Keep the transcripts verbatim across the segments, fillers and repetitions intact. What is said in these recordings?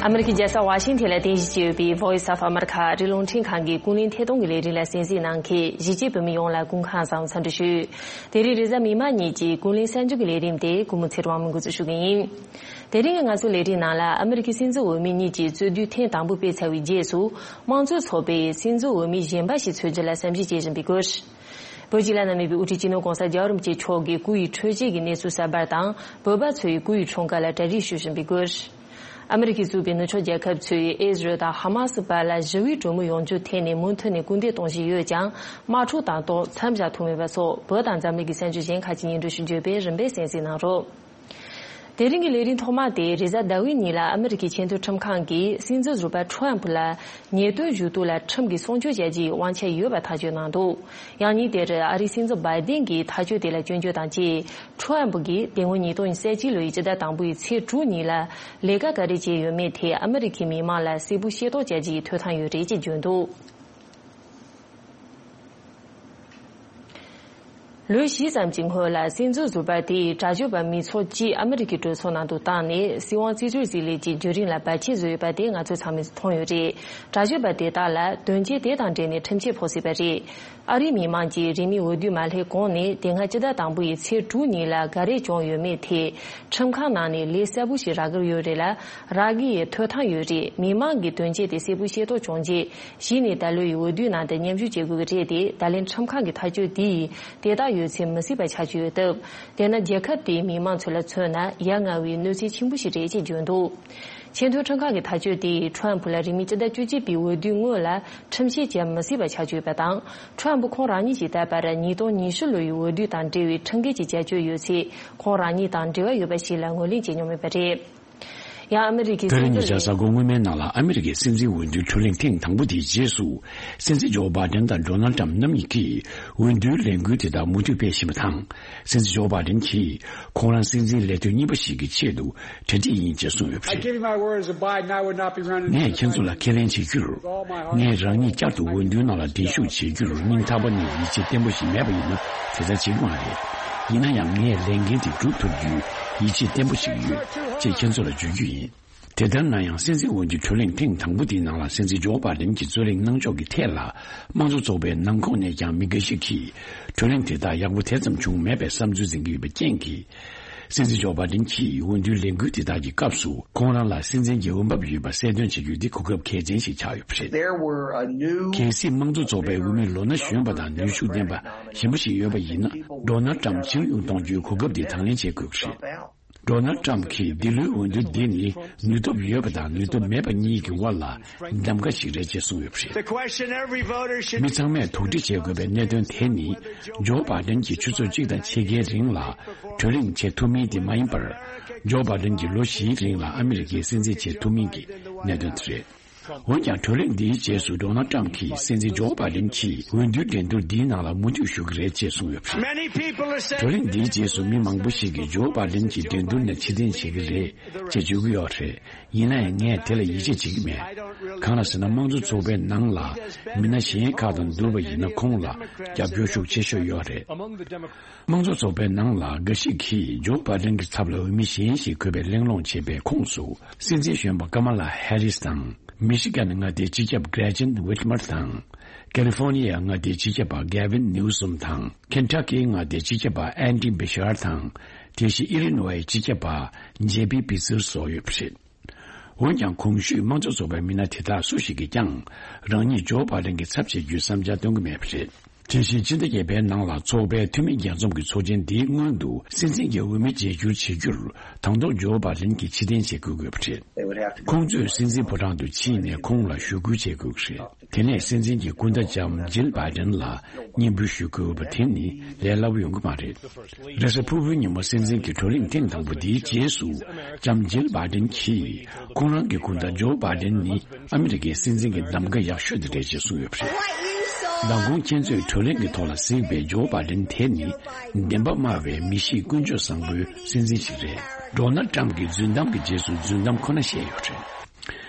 ཨ་མི་རི་ཀའི་རྒྱལ་ས་ཝ་ཤིང་ཐན་ལ་རྟེན་གཞི་བྱས་ཡོད་པའི་Voice of America ཨ་རིའི་རླུང་འཕྲིན་ཁང་གི་ཀུན་གླེང་ཐད་གཏོང་གི་ལས་རིམ་ལ་གསན་གཟིགས་གནང་མཁན་གཞིས་བྱེས་བོད་མི་ཡོངས་ལ་སྐུ་ཁམས་བཟང་འཚམས་འདྲི་ཞུ། དེ་རིང་རེས་གཟའ་མིག་དམར་ཉིན་གྱི་ཀུན་གླེང་གསར་འགྱུར་གྱི་ལས་རིམ་དེ་སྐུ་ངོ་ཚེ་རིང་དབང་མོས་འགོ་འཛུགས་ཞུ་གི་ཡིན། དེ་རིང་གི་ང་ཚོའི་ལས་རིམ་ནང་ལ་ཨ་མི་རི་ཀའི་སྲིད་འཛིན་འོས་མི་གཉིས་ཀྱི་རྩོད་བསྡུར་ཐེངས་དང་པོ་སྤེལ་ཚར་བའི་རྗེས་སུ་དམངས་གཙོའི་ཚོགས་པས་སྲིད་འཛིན་འོས་མི་གཞན་པ་ཞིག་འཚོལ་རྒྱུ་ལ་བསམ་གཞིག་བྱེད་བཞིན་པའི་སྐོར། བོད་ཀྱི་བླ་ན་མེད་པའི་དབུ་ཁྲིད་སྤྱི་ནོར་༧གོང་ས་༧རྒྱལ་བ་རིན་པོ་ཆེ་མཆོག་གི་སྐུ་ཡི་འཕྲོད་བཞེས་ཀྱི་གནས་ཚུལ་གསར་པ་དང་། བོད་པ་ཚོ་ཡི་སྐུ་ཡི་འཁྲུངས་སྐར་ལ་གྲ་སྒྲིག་ཞུ་བཞིན་པའི་སྐོར། ཨ་མི་རི་ཀས་གཙོས་པའི་ནུབ་ཕྱོགས་རྒྱལ་ཁབ་ཚོས་ཨི་ཟི་རལ་དང་ཧ་མ་སི་བར་ལ་ཞི་བའི་གྲོས་མོལ་ཡོང་རྒྱུའི་ཐད་ནས་མུ་མཐུད་ནས་སྐུལ་འདེད་གཏོང་བཞིན་ཡོད་ཀྱང་། དམག་འཁྲུག་དང་ཏོག་མཚམས་བཞག་ཐུབ་མེད་པ་སོགས། བོད་དང་འཛམ་གླིང་གི་གསར་འགྱུར་གཞན་ཁག་ཅིག་སྙན་སྒྲོན་ཞུ་རྒྱུ་ཡོད་པས་རིམ་པས་གསན་གཟིགས་གནང་རོགས། དེ་རིང་གི་ལས་རིམ་ཐོག་མ་དེ་རེས་གཟའ་ཟླ་བའི་ཉིན་ལ་ཨ་མི་རི་ཀའི་ཆེས་མཐོའི་ཁྲིམས་ཁང་གིས་སྲིད་འཛིན་ཟུར་པ་ཁྲོམ་ཕུ་ལ་ཉེས་དོན་ཞུ་གཏུག་ལ་ཁྲིམས་ཀྱིས་སྲུང་སྐྱོབ་བྱ་རྒྱུའི་དབང་ཆ་ཡོད་པ་ཐག་གཅོད་གནང་འདུག། ཡང་ཉིན་དེར་ཨ་རིའི་སྲིད་འཛིན་བྷའི་ཏིན་གྱིས་ཐག་གཅོད་དེ་ལ་སྐྱོན་བརྗོད་དང་བཅས། ཁྲོམ་ཕུ་གིས་དེ་སྔོན་ཉིས་སྟོང་ཉེར་གཅིག་ལོའི་སྤྱི་ཟླ་དང་པོའི་ཚེས་དྲུག་ཉིན་ལ་ལས་ཀ་ག་རེ་བྱས་ཡོད་མེད་ཐད་ཨ་མི་རི་ཀའི་མི་མང་ལ་གསལ་པོ་ཤེས་རྟོགས་བྱ་རྒྱུའི་ཐོབ་ཐང་ཡོད་རེད་ཅེས་བརྗོད་འདུག། ལོ་བཞི་ཙམ་གྱི་སྔོན་ལ་སྲིད་འཛིན་ཟུར་པ་དེས་དྲག་སྤྱོད་པ་མི་ཚོགས་གཅིག་ཨ་མི་རི་ཀའི་གྲོས་ཚོགས་ནང་དུ་བཏང་ནས་སྲིད་དབང་རྩིས་སྤྲོད་རྩིས་ལེན་གྱི་བརྒྱུད་རིམ་ལ་བར་ཆད་བཟོས་ཡོད་པ་དེ་ང་ཚོས་ཚང་མས་མཐོང་ཡོད་རེད། དྲག་སྤྱོད་པ་དེ་དག་ལ་དོན་རྐྱེན་དེ་དང་འབྲེལ་ནས་ཁྲིམས་ཆད་ཕོག་སྲིད་པ་རེད། ཨ་རིའི་མི་མང་གིས་རིང་མིན་འོས་བསྡུ་མ་སླེབས་གོང་ནས་དེ་སྔ་སྤྱི་ཟླ་དང་པོ་ཡི་ཚེས་དྲུག་ཉིན་ལ་ག་རེ་བྱུང་ཡོད་མེད་ཐད་ཁྲིམས་ཁང་ནང་ནས་ལན་གསལ་པོ་ཞིག་རག་གི་ཡོད་རེད་ལ། རག་གི་ཡོད། ཐོབ་ཐང་ཡོད་རེད། མི་མང་གིས་དོན་རྐྱེན་དེ་གསལ་པོ་ཤེས་རྟོགས་བྱུང་རྗེས། གཞི་ནས་ད་ལོའི་འོས་བསྡུའི་ནང་དུ་མཉམ་ཞུགས་བྱེད་དགོས་ཀྱི་རེད་དེ། ད་ལན་ཁྲིམས་ཁང་གི་ཐག་གཅོད་དེ་ཡིས་དེ་དག་ཡོད་ཚད་མི་སྲིད་པ་ཆགས་ཀྱི་ཡོད་སྟབས། དེས་ན་རྒྱལ་ཁབ་དེའི་མི་མང་ཚོ་ལ་མཚོན་ན་ཡ་ང་བའི་གནོད་འཚེ་ཆེན་པོ་ཞིག་རེད་ཅེས་བརྗོད་འདུག། ཆེས་མཐོའི་ཁྲིམས་ཁང་གི་ཐག་གཅོད་དེ་ཡིས་ཁྲོམ་ཕུ་ལ་རིང་མིན་སྤྱི་ཟླ་བཅུ་གཅིག་པའི་འོས་བསྡུའི་སྔོན་ལ་ཁྲིམས་བཤེར་བྱེད་མི་སྲིད་པ་ཆགས་ཀྱི་ཡོད་པ་དང་། ཁྲོམ་ཕུ་ཁོང་རང་ཉིད་ཀྱིས་ད་བར་ཉིས་སྟོང་ཉི་ཤུ་ལོའི་འོས་བསྡུ་དང་འབྲེལ་བའི་ཁྲིམས་འགལ་གྱི་བྱ་སྤྱོད་ཡོད་ཚད་ཁོང་རང་ཉིད་དང་འབྲེལ་བ་ཡོད་པ་ཞིག་ལ་ངོས་ལེན་བྱེད་མྱོང་མེད་པ་རེད། ཡང་ཨ་མི་རི་ཀའི་ད་རེས་ཉེ་ཆར་གཟའ་འཁོར་སྔོན་མའི་ནང་ལ་ཨ་མི་རི་ཀའི་སྲིད་འཛིན་འོས་བསྡུའི་བགྲོ་གླེང་ཐེངས་དང་པོ་དེའི་རྗེས་སུ། སྲིད་འཛིན་ཇོ་བྷའི་ཏན་དང་ཌོ་ནལ་ཏྲམ་རྣམ་གཉིས་ཀྱིས་འོས་བསྡུའི་ལས་འགུལ་དེ་དག་མུ་མཐུད་སྤེལ་བཞིན་པ་དང་། སྲིད་འཛིན་ཇོ་བྷའི་ཏན་གྱིས་ཁོང་རང་སྲིད་འཛིན་ལས་དོན་གཉིས་པ་ཞིག་གི་ཆེད་དུ་གྲ་སྒྲིག་ཡིན་ཅེས་གསུངས་ཡོད་པ་རེད། Give you my word as a Biden, I would not be running ངས་ཁྱེད་ཚོ་ལ་ཁས་ལེན་བྱེད་རྒྱུར། ངས་རང་ཉིད་བསྐྱར་དུ་འོས་བསྡུའི་ནང་ལ་གདན་ཞུགས་བྱེད་རྒྱུར་སྙིང་ཐག་པ་ནས་ཡིད་ཆེས་བརྟན་པོ་ཞིག་མེད་པ་ཡིན་ན་དེ་ལྟར་བྱེད་ཀྱི་མ་རེད། ཡིན་ན་ཡང་ངས་ལས་འགན་དེ་སྒྲུབ་ཐུབ་རྒྱུའི་ཡིད་ཆེས་བརྟན་པོ་ཞིག་ཡོད་ཅེས་ཁྱེད་ཚོ་ལ་བརྗོད་རྒྱུ་ཡིན། དེ་ལྟར་ན་ཡང་སྲིད་འཛིན་འོས་བསྡུའི་བགྲོ་གླེང་ཐེངས་དང་པོ་དེའི་ནང་ལ་སྲིད་འཛིན་ཇོ་བྷའི་ཏན་གྱིས་རྩོད་གླེང་གནང་ཕྱོགས་ཀྱི་ཐད་ལ་དམངས་གཙོ་ཚོགས་པའི་ནང་ཁོངས་ནས་ཀྱང་མི་འགའ་ཞིག་གིས་བགྲོ་གླེང་དེ་དག་ཡག་པོ་དེ་ཙམ་བྱུང་མེད་པའི་བསམ་ཚུལ་འཛིན་གྱི་ཡོད་པའི་རྐྱེན་གྱིས། སྲིད་འཛིན་ཇོ་བྷའི་ཏན་གྱིས་འོས་བསྡུའི་ལས་འགུལ་དེ་དག་གི་སྐབས་སུ་ཁོང་རང་ལ་སྲིད་འཛིན་གྱི་འོས་འབབ་ཡོད་པ་གསལ་སྟོན་བྱེད་རྒྱུ་འདི་གོ་སྐབས་གལ་ཆེན་ཞིག་ཆགས་ཡོད་པ་རེད། There were a new གལ་སྲིད་དམངས་གཙོ་ཚོགས་པའི་འོས་མི་ལོ་ན་གཞོན་པ་དང་ནུས་ཤུགས་ལྡན་པ་གཞན་པ་ཞིག་ཡོད་པ་ཡིན་ན། ཌོ་ནལ་ཏྲམ་ཕྱིར་ཡོང་གཏོང་རྒྱུའི་གོ་སྐབས་འདི་དང་ལེན་བྱེད་དགོས་ཀྱི་རེད། ཌོ་ནལ་ཏྲམ་གྱིས་འདི་ལོའི་འོས་བསྡུ་འདི་ནི་ནུས་སྟོབས་ཡོད་པ་དང་ནུས་སྟོབས་མེད་པ་གཉིས་ཀྱི་དབར་ལ་གདམ་ག་ཞིག་རེད་ཅེས་གསུངས་ཡོད་པ་རེད། The question every voter should མི་ཚང་མས་དོགས་འདྲི་བྱེད་དགོས་པའི་གནད་དོན་དེ་ནི། ཇོ་བྷའི་ཏན་གྱིས་ཆུ་ཚོད་གཅིག་དང་ཕྱེད་ཀའི་རིང་ལ་བགྲོ་གླེང་བྱེད་ཐུབ་མིན་དེ་མ་ཡིན་པར། ཇོ་བྷའི་ཏན་གྱིས་ལོ་བཞིའི་རིང་ལ་ཨ་མི་རི་ཀའི་སྲིད་འཛིན་བྱེད་ཐུབ་མིན་གྱི་གནད་དོན་དེ་རེད། འོན་ཀྱང་བགྲོ་གླེང་འདིའི་རྗེས་སུ་ཌོ་ནལ་ཏྲམ་གྱིས་སྲིད་འཛིན་ཇོ་བྷའི་ཏན་གྱིས་འོས་བསྡུའི་འགྲན་བསྡུར་འདིའི་ནང་ལ་མུ་མཐུད་ཞུགས་ཀྱི་རེད་ཅེས་གསུངས་ཡོད་པ་རེད། Many people are saying བགྲོ་གླེང་འདིའི་རྗེས་སུ་མི་མང་པོ་ཞིག་གིས་ཇོ་བྷའི་ཏན་གྱིས་འགྲན་བསྡུར་ནས་ཕྱིར་འཐེན་བྱེད་ཀྱི་རེད་ཅེས་བརྗོད་ཀྱི་ཡོད་རེད། ཡིན་ན་ཡང་ངས་དེ་ལ་ཡིད་ཆེས་བྱེད་ཀྱི་མེད། གང་ལ་ཟེར་ན་དམངས་གཙོ་ཚོགས་པའི་ནང་ལ་མི་སྣ་གཞན་ཁག་དང་བསྡུར་བ་ཡིན་ན་ཁོང་ལ་རྒྱབ་སྐྱོར་ཤུགས་ཆེ་ཤོས་ཡོད་རེད། དམངས་གཙོ་ཚོགས་པའི་ནང་ལ་འགའ་ཞིག་གིས་ཇོ་བྷའི་ཏན་གྱི་ཚབ་ལ་འོས་མི་གཞན་ཞིག་དགོས་པའི་གླེང་སློང་བྱས་པའི་ཁོངས་སུ། སྲིད་འཛིན་གཞོན་པ་ཀ་མ་ལ་ཧེ་རིས་དང་། མི་ཤི་གན་མངའ་སྡེའི་སྤྱི་ཁྱབ་གྷྲེ་ཅན་ཝིད་མར་དང་། ཀ་ལི་ཧྥོར་ནི་ཡ་མངའ་སྡེའི་སྤྱི་ཁྱབ་པ་གྷེ་ཝིན་ནིའུ་སོམ་དང་། ཁེན་ཊ་ཀི་མངའ་སྡེའི་སྤྱི་ཁྱབ་པ་ཨན་ཌི་བྷི་ཤར་དང་། དེ་བཞིན་ཨི་ལི་ནོའི་སྤྱི་ཁྱབ་པ་ཇེ་པི་པི་ཚེར་སོགས་ཡོད་པ་རེད། འོན་ཀྱང་གོང་ཞུས་དམངས་གཙོ་ཚོགས་པའི་མི་སྣ་དེ་དག་སུ་ཞིག་གིས་ཀྱང་རང་ཉིད་ཇོ་བྷའི་ཏན་གྱི་ཚབ་བྱེད་རྒྱུའི་བསམ་འཆར་སྟོན་གྱི་མེད་པ་རེད། དེ་བཞིན་ཕྱི་ཟླ་བརྒྱད་པའི་ནང་ལ་ཚོགས་པའི་འཐུས་མི་རྒྱས་འཛོམས་ཀྱི་ཚོགས་ཆེན་འདིའི་སྔོན་དུ་སྲིད་འཛིན་གྱི་འོས་མི་བརྗེ་བསྒྱུར་བྱེད་རྒྱུར་དང་ཐོག་ཇོ་བྷའི་ཏན་གྱིས་ཕྱིར་འཐེན་བྱེད་དགོས་དགོས་པ་རེད། ཁོང་ཚོས་སྲིད་འཛིན་ཕོ་བྲང་དུ་ཕྱིན་ནས་ཁོང་ལ་ཞུ་སྐུལ་བྱེད་དགོས་ཀྱི་རེད། དེ་ནས་སྲིད་འཛིན་གྱི་སྐུ་ཟླ་ལྕམ་ཇིལ་བྷའི་ཏན་ལ་སྙན་འབུལ་ཞུ་དགོས་པ་དེ་ནི་ལས་སླ་པོ་ཡོང་གི་མ་རེད། རེས་གཟའ་ཕུར་བུའི་ཉིན་མོ་སྲིད་འཛིན་གྱི་བགྲོ་གླེང་ཐེངས་དང་པོ་འདིའི་རྗེས་སུ་ལྕམ་ཇིལ་བྷའི་ཏན་གྱིས་ཁོང་རང་གི་སྐུ་ཟླ་ཇོ་བྷའི་ཏན་ནི་ཨ་མི་རི་ཀའི་སྲིད་འཛིན་གྱི་གདམ་ག་ཡག་ཤོས་དེ་རེད་ཅེས་གསུངས་ཡོད་པ་རེད། མདང་དགོང་ཁྱེད་ཚོས་བགྲོ་གླེང་གི་ཐོག་ལ་གཟིགས་པའི་ཇོ་བྷའི་ཏན་དེ་ནི་བདེན་པ་སྨྲ་བའི་མི་གཤིས་ཀུན་སྤྱོད་བཟང་པོའི་སྲིད་འཛིན་ཞིག་རེད། ཌོ་ནལ་ཏྲམ་གྱིས་རྫུན་གཏམ་གྱི་རྗེས་སུ་རྫུན་གཏམ་ཁོ་ན་བཤད་ཡོད་རེད།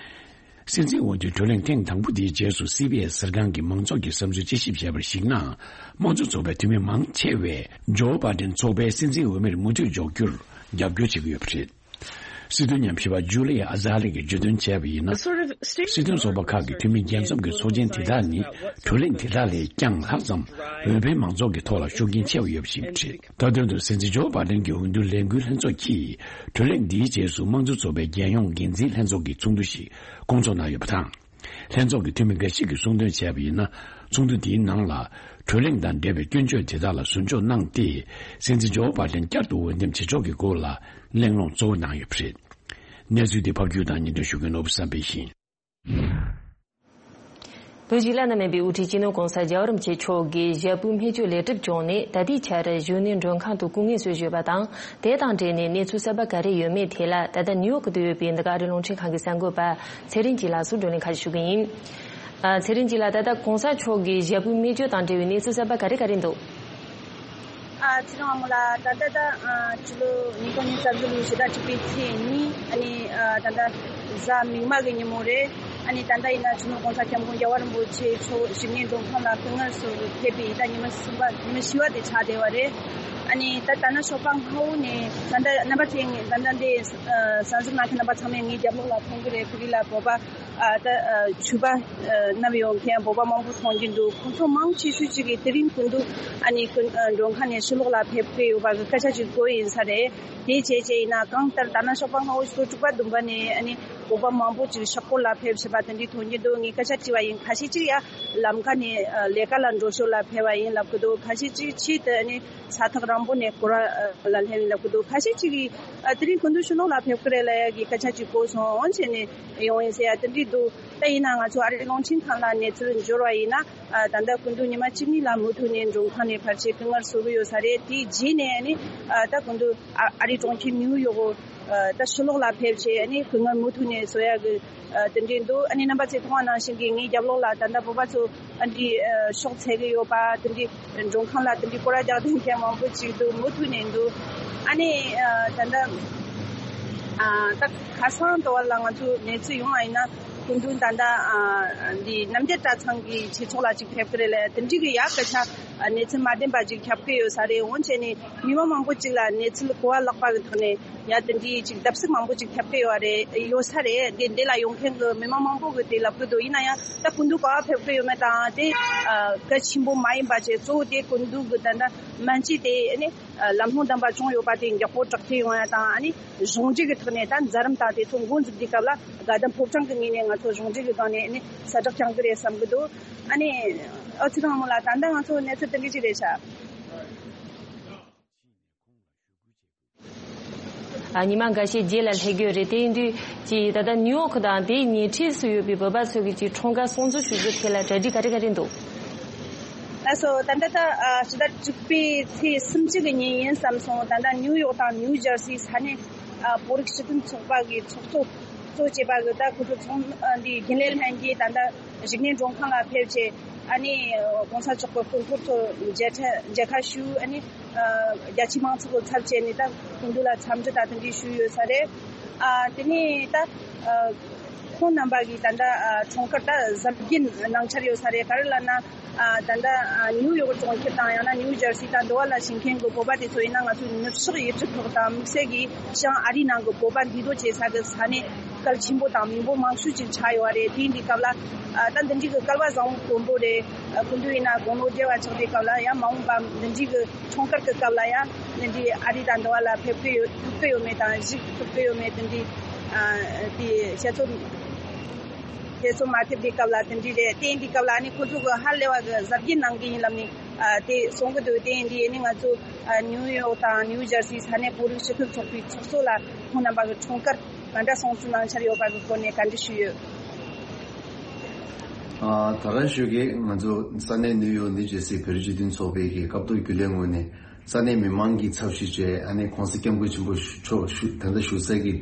སྲིད་འཛིན་འོས་བསྡུའི་བགྲོ་གླེང་ཐེངས་དང་པོ་དེའི་རྗེས་སུ་སི་བྷི་ཨེས་གསར་ཁང་གིས་མང་ཚོགས་ཀྱི་བསམ་ཚུལ་དཔྱད་ཞིབ་བྱས་པར་གཞིགས་ན། དམངས་གཙོ་ཚོགས་པའི་འཐུས་མི་མང་ཆེ་བས་ཇོ་བྷའི་ཏན་ཚོགས་པའི་སྲིད་འཛིན་འོས་མིར་མུ་མཐུད་འཇོག་རྒྱུར་རྒྱབ་སྐྱོར་བྱེད་ཀྱི་ཡོད་པ་རེད། སྲིད་དོན་ཉམས་ཞིབ་པ་ཇུ་ལི་ཨ་ཛ་ལི་གིས་བརྗོད་དོན་བྱས་པ་ཡིན་ན། སྲིད་དོན་ཚོགས་པ་ཁག་གི་འཐུས་མི་རྒྱལ་འཛོམས་ཀྱི་ཚོགས་ཆེན་དེ་དག་ནི་གྲོས་གླེང་དེ་དག་ལས་ཀྱང་ལྷག་ཙམ་འོས་འཕེན་མང་ཚོགས་ཀྱི་ཐོག་ལ་ཤུགས་རྐྱེན་ཆེ་བ་ཡོད་པ་ཞིག་རེད། མཐའ་དོན་དུ་སྲིད་འཛིན་ཇོ་བྷ་ཌེན་གྱི་འོས་བསྡུ་ལས་འགུལ་ལྷན་ཚོགས་ཀྱིས་གྲོས་གླེང་འདིའི་རྗེས་སུ་དམངས་གཙོ་ཚོགས་པའི་རྒྱལ་ཡོངས་འགན་འཛིན་ལྷན་ཚོགས་ཀྱི་ཚོགས་འདུ་ཞིག་སྐོང་ཚོགས་གནང་ཡོད་པ་དང་། ལྷན་ཚོགས་ཀྱི་འཐུས་མི་འགའ་ཞིག་གིས་གསུངས་དོན་བྱས་པ་ཡིན་ན། ཚོགས་འདུ་འདིའི་ནང་ལ་གྲོས་གླེང་དང་འབྲེལ་བའི་སྐྱོན་བརྗོད་དེ་དག་ལ་ཟུར་འཇོག་གནང་སྟེ། སྲིད་འཛིན་ཇོ་བྷ་ཌེན་བསྐྱར་དུ་འོས་འདེམས་བྱེད་ཕྱོགས་ཀྱི་སྐོར་ལ་གླེང་སློང་གཙོ་བོ་གནང་ཡོད་པ་རེད། གནས་ཚུལ་འདི་ཕབ་སྒྱུར་དང་སྙན་སྒྲོན་ཞུ་མཁན་ནོར་བུ་བསམ་འཕེལ་ཡིན། བོད་ཀྱི་བླ་ན་མེད་པའི་དབུ་ཁྲིད་སྤྱི་ནོར་༸གོང་ས་༸རྒྱལ་བ་རིན་པོ་ཆེ་མཆོག་གིས་ཞབས་པུའི་སྨན་བཅོས་ལས་སྒྲུབ་བྱུང་ནས་ད་ལྟའི་ཆར་གཞོན་ནུའི་མགྲོན་ཁང་དུ་སྐུ་ངལ་གསོས་བཞུགས་པ་དང་། དེ་དང་འབྲེལ་ནས་གནས་ཚུལ་གསར་པ་ག་རེ་ཡོད་མེད་ཐད་ལ། ད་ལྟ་ནིའུ་ཡོག་ཏུ་ཡོད་པའི་འདི་ག་ཨ་རིའི་རླུང་འཕྲིན་ཁང་གི་གསར་འགོད་པ་ཚེ་རིང་སྐྱིད་ལགས་སུ་བགྲོ་གླེང་ཁ་ཤས་ཞུ་གི་ཡིན། ཨ། ཚེ་རིང་སྐྱིད་ལགས། ད་ལྟ་༸གོང་ས་མཆོག་གི་ཞབས་པུའི་སྨན་བཅོས་དང་འབྲེལ་བའི་གནས་ཚུལ་གསར་པ་ག་རེ་ག་རེ་འདུག་ཨ། ཚེ་རིང་དབང་མོ་ལགས། ད་ལྟ་ད་ཨ་ཕྱི་ལོ་ཉིས་སྟོང་ཉི་ཤུ་རྩ་བཞི་ལོའི་ཕྱི་ཟླ་དྲུག་པའི་ཚེས་གཉིས། ཨ་ནི་ཨ་ད་ལྟ་གཟའ་མིག་དམར་གྱི་ཉིན་མོ་རེད། ཨ་ནི་ད་ལྟ་ཡིན་ན་སྤྱི་ནོར་༸གོང་ས་༸སྐྱབས་མགོན་རྒྱལ་བ་རིན་པོ་ཆེ་མཆོག་ཞིག་གནས་མགྲོན་ཁང་ལ་སྐུ་ངལ་གསོ་ཕེབས་པའི་ད་ཉི་མ་གསུམ་པ། ཉི་མ་བཞི་པ་དེ་ཆགས་བསྡད་པ་རེད། ཨ་ནི་ད་ད་ནང་ཞོགས་པ་སྔ་པོ་ནས་ད་ལྟ་རྣམ་པ་ཚོས་ད་ལྟ་འདི་ཨ་གསར་འཛུགས་གནང་མཁན་རྣམ་པ་ཚང་མས་ངའི་རྒྱབ་ལོགས་ལ་མཐོང་གི་རེད། ཕུ་རི་ལ་བོད་པ་ཨ་ད་ཨ་ཕྱུ་པ་ཨ་བསྣམས་ཡོང་མཁན་བོད་པ་མང་པོ་མཐོང་གི་འདུག་ཁོང་ཚོ་མང་ཆེ་ཤོས་ཅིག་གིས་དེ་རིང་སྐུ་མདུན་ཨ་ནི་སྐུ་ཨ་མགྲོན་ཁང་ནས་ཕྱི་ལོགས་ལ་ཕེབས་ཀྱི་ཡོད་པ་གི་སྐད་ཆ་ཅིག་གོ་ཡིན་ས་རེད། དེ་བྱས་བྱས་ཡིན་ན་གང་ལྟར་ད་ནང་ཞོགས་པ་སྔ་པོ་ཞོགས་དྲུག་པ་བདུན་པ་ནས་ཨ་ནི་བོད་པ་མང་པོ་ཅིག་ཤག་སྐོར་ལ་ཕེབས་བཞིན་པ་དེ་འདྲའི་མཐོང་གི་འདུག་ངས་སྐད་ཆ་དྲིས་པ་ཡིན། ཁ་ཤས་ཅིག་ཡ་ལམ་ཁ་ནས་ཨ་ལས་ཀ་ལ་འགྲོ་ཞོར་ལ་ཕེབས་པ་ཡིན་ལབ་ཀྱི་འདུག་ཁ་ཤས་ཅིག་ཆེད་དུ་ཨ་ནི་ས་ཐག་རིང་པོ་ནས་སྐོར་བ་ལ་སླེབས་ཡིན་ལབ་ཀྱི་འདུག་ཁ་ཤས་ཅིག་གིས་ཨ་དེ་རིང་སྐུ་མདུན་ཕྱི་ལོགས་ལ་ཕེབས་ཀྱི་རེད་ལབ་ཡ་གི་སྐད་ཆ་ཅིག་གོ་སོང་། འོན་བྱས་ནས་ཡོང་ཡིན་ཟེར་ཡ་དེ་འདྲའི་འདུག་ད་ཡིན་ན་ང་ཚོ་ཨ་རིའི་རླུང་འཕྲིན་ཁང་ལ་གནས་ཚུལ་འབྱོར་བ་ཡིན་ན། ཨ་ད་ལྟ་སྐུ་མདུན་ཉི་མ་གཅིག་གཉིས་ལ་མུ་མཐུད་ནས་མགྲོན་ཁང་ནས་ཕལ་ཆེར་སྐུ་ངལ་གསོ་གི་ཡོད་ས་རེད། དེའི་རྗེས་ནས་ནི་ཨ་ད་སྐུ་མདུན་ཨ་ཨ་རིའི་གྲོང་ཁྱེར་ནིའུ་ཡོག་གི་ཨ་ད་ཕྱི་ལོགས་ལ་ཕེབས་བྱས་ཨ་ནི་སྐུ་ངལ་མུ་མཐུད་ནས་གསོ་ཡ་གི་ཨ་དེ་འདྲའི་འདུག་ཨ་ནི་རྣམ་པ་ཚོས་མཐོང་བ་ནང་བཞིན་གྱི་ངའི་རྒྱབ་ལོགས་ལ་ད་ལྟ་བོད་པ་ཚོ་ཨ་འདྲའི་ཨ་ཤོག་འཚལ་གི་ཡོད་པ། དེ་འདྲའི་མགྲོན་ཁང་ལ་དེ་འདྲའི་སྐོར་ར་རྒྱག་བསྡད་མཁན་མང་པོ་ཅིག་འདུག་མུ་མཐུད་ནས་འདུག་ཨ་ནི་ཨ་ད་ལྟ་ཨ་ད་ཁ་སང་དུ་བ་ལ་ང་ཚོ་གནས་ཚུལ་ཡོང་བ་ཡིན་ན། སྐུ་མདུན་ད་ལྟ་ཨ་འདི་རྣམ་རྒྱལ་གྲྭ་ཚང་གི་ཆོས་ཚོགས་ལ་ཅིག་ཕེབས་ཀྱི་རེད་ལ། དེ་འདྲའི་གི་ཡག་སྐད་ཆ་ཨ་གནས་ཚུལ་མ་བདེན་པ་ཅིག་ཁྱབ་ཀྱི་ཡོད་ས་རེད། འོན་བྱས་ནས་མི་མང་མང་པོ་ཅིག་ལ་གནས་ཚུལ་གོ་བ་ལེགས་པ་གི་ཐོག་ནས་ཡ་དེ་འདྲའི་ཅིག་བརྡབ་གསིག་མང་པོ་ཅིག་ཁྱབ་ཀྱི་ཡོད་རེད། ཡོད་ས་རེད། འདི་འདི་ལ་ཡོང་མཁན་གི་མི་མང་མང་པོ་གི་དེ་ལབ་ཀྱི་འདུག་ཡིན་ན་ཡང་ད་སྐུ་མདུན་ག་པར་ཕེབས་ཀྱི་ཡོད་མེད་དང་དེ་ཨ་གལ་ཆེན་པོ་མ་ཡིན་པ་བྱས། གཙོ་བོ་དེ་སྐུ་མདུན་གི་ད་ལྟ་སྨན་བཅོས་དེ་ནི་ལམ་ལྷོང་ལྡན་པ་བྱུང་ཡོད་པ་དེ་མགྱོགས་པོ་དྲག་ཐེངས་ཡོང་ཡ་དང་། ཨ་ནི་གཞུང་འབྲེལ་གྱི་ཐོག་ནས་ད་མཛད་རིམ་དང་དེ་ཚོ་འགོ་འཛུགས་དུས་སྐབས་ལ་དགའ་ལྡན་ཕོ་བྲང་གི་ངོས་ནས་ང་ཚོ་གཞུང་འབྲེལ་གྱི་སྒང་ནས་ཨ་ནི་གསལ་བསྒྲགས་བསྐྱང་གི་རེད་བསམ་གྱི་འདུག་ཨ་ནི་ཨ་ཚེ་རིང་དབང་མོ་ལགས། ད་ལྟ་ང་ཚོ་གནས་ཚུལ་དེ་འདྲ་ཅིག་རེད་ཤག་ཨ་ཉི་མ་འགའ་ཤས་རྗེས་ལ་སླེབས་ཀྱི་ཡོད་རེད། དེ་ཡིན་དུས་ཀྱི་ད་ལྟ་ནིའུ་ཡོག་དང་དེའི་ཉེ་འཁྲིས་སུ་ཡོད་པའི་བོད་པ་ཚོ་གི་ཅིག་འཁྲུངས་སྐར་སྲུང་བརྩི་ཞུ་རྒྱུ་ཐད་ལ་གྲ་སྒྲིག་ག་རེ་ག་རེ་འདུག་ལགས་སོ། ད་ལྟ་ད་ཨ་ཕྱི་ཟླ་དྲུག་པའི་ཚེས་སུམ་ཅུ་གི་ཉིན་ཡིན་བསམ་སོང་། ད་ལྟ་ནིའུ་ཡོག་དང་ནིའུ་ཇར་སི་ས་གནས་ཨ་བོད་རིགས་སྤྱི་མཐུན་ཚོགས་པ་གི་ཚོགས་གཙོ་གཙོ་བྱས་པ་གི་ད་ཁོ་ཚོ་ཚོགས་ཨ་འདི་རྒྱུན་ལས་ལྷན་རྒྱས་ད་ལྟ་རིག་གནས་མགྲོན་ཁང་ལ་ཕེབས་བྱས། ཨ་ནི་༸གོང་ས་མཆོག་གི་སྐུ་འཁོར་ཚོ་མཇལ་ཁ་མཇལ་ཁ་ཞུས། ཨ་ནི་ཨ་རྒྱ་ཆེའི་མང་ཚོགས་ཀྱི་ཚབ་བྱས་ནས་ད་སྐུ་མདུན་ལ་འཚམས་འདྲི་ད་དེ་འདྲ་ཞུས་ཡོད་ས་རེད། ཨ་དེ་ནས་ད་ཨ་ཁོང་རྣམ་པ་གི་ད་ལྟ་ཨ་འཁྲུངས་སྐར་ད་གཟབ་རྒྱས་གནང་འཆར་ཡོད་ས་རེད། ག་རེ་ལབ་ན། ཨ་ད་ལྟ་ཨ་ནིའུ་ཡོག་གྲོང་ཁྱེར་དང་ཡང་ན་ནིའུ་ཇར་སི་དང་འདི་བ་ལ་བཞུགས་མཁན་གྱི་བོད་པ་དེ་ཚོ་ཡིན་ན་ང་ཚོའི་ནུབ་ཕྱོགས་ཡུལ་གྲུ་ཁག་དང་དམིགས་བསལ་གྱིས་བྱང་ཨ་རིའི་ནང་གི་བོད་པ་འདུས་སྡོད་བྱེད་ས་གི་ས་གནས་གལ་ཆེན་པོ་དང་མི་འབོར་མང་ཤོས་ཅིག་ཆགས་ཡོད་རེད། དེ་ཡིན་དུས་སྐབས་ལ་ཨ་ད་འདི་འདྲའི་གི་སྐལ་བ་བཟང་པོ་དཀོན་པོ་རེད། ཨ་སྐུ་མདུན་ཡིན་ན་དགུང་ལོ་བརྒྱད་པ་ཆགས་དུས་སྐབས་ལ་ཡང་མ་འོངས་པ་འདི་འདྲའི་གི་འཁྲུངས་སྐར་གྱི་སྐབས་ལ་ཡང་འདི་འདྲའི་ཨ་རི་དང་འདི་བ་ལ་ཕེབས་ཀྱི་ཡོད་ཐུབ་ཀྱི་ཡོད་མེད་དང་གཟིགས་ཐུབ་ཀྱི་ཡོད་མེད་དེ་འདྲའི་ཨ་དེ་བཤད་ཚོད། དེ་ཚོ་མ་ཐེབས་དུས་སྐབས་ལ་དེ་འདྲའི་རེད། དེ་ཡིན་དུས་སྐབས་ལ་ཨ་ནི་ཁོ་ཚོ་གི་ཧ་ལས་པ་གི་གཟབ་རྒྱས་གནང་གི་ཡིན་ལབ་ནས་ཨ་དེ་གསུང་གི་འདུག་དེ་ཡིན་དུས་ཨ་ནི་ང་ཚོ་ཨ་ནིའུ་ཡོག་དང་ནིའུ་ཇར་སི་ས་གནས་བོད་རིགས་སྤྱི་མཐུན་ཚོགས་པའི་ཚོགས་གཙོ་ལ་ཁོང་རྣམ་པ་གི་འཁྲུངས་སྐར་ག་འདྲ་སྲུང་བརྩི་གནང་འཆར་ཡོད་པ་གི་སྐོར་ནས་བཀའ་འདྲི་ཞུས་ཡོད། ཨ་ད་རང་ཞུ་གི་ང་ཚོ་ས་གནས་ནིའུ་ཡོག་ནིའུ་ཇར་སི་བོད་རིགས་སྤྱི་མཐུན་ཚོགས་པའི་གི་སྐབས་ཐོག་རྒྱུན་ལས་ངོས་ནས། ས་གནས་མི་མང་གི་ཚབ་ཞུས་བྱས་ཨ་ནི་༸གོང་ས་༸སྐྱབས་མགོན་ཆེན་པོ་མཆོག་བཞུགས་ད་ལྟ་བཞུགས་སའི་གི་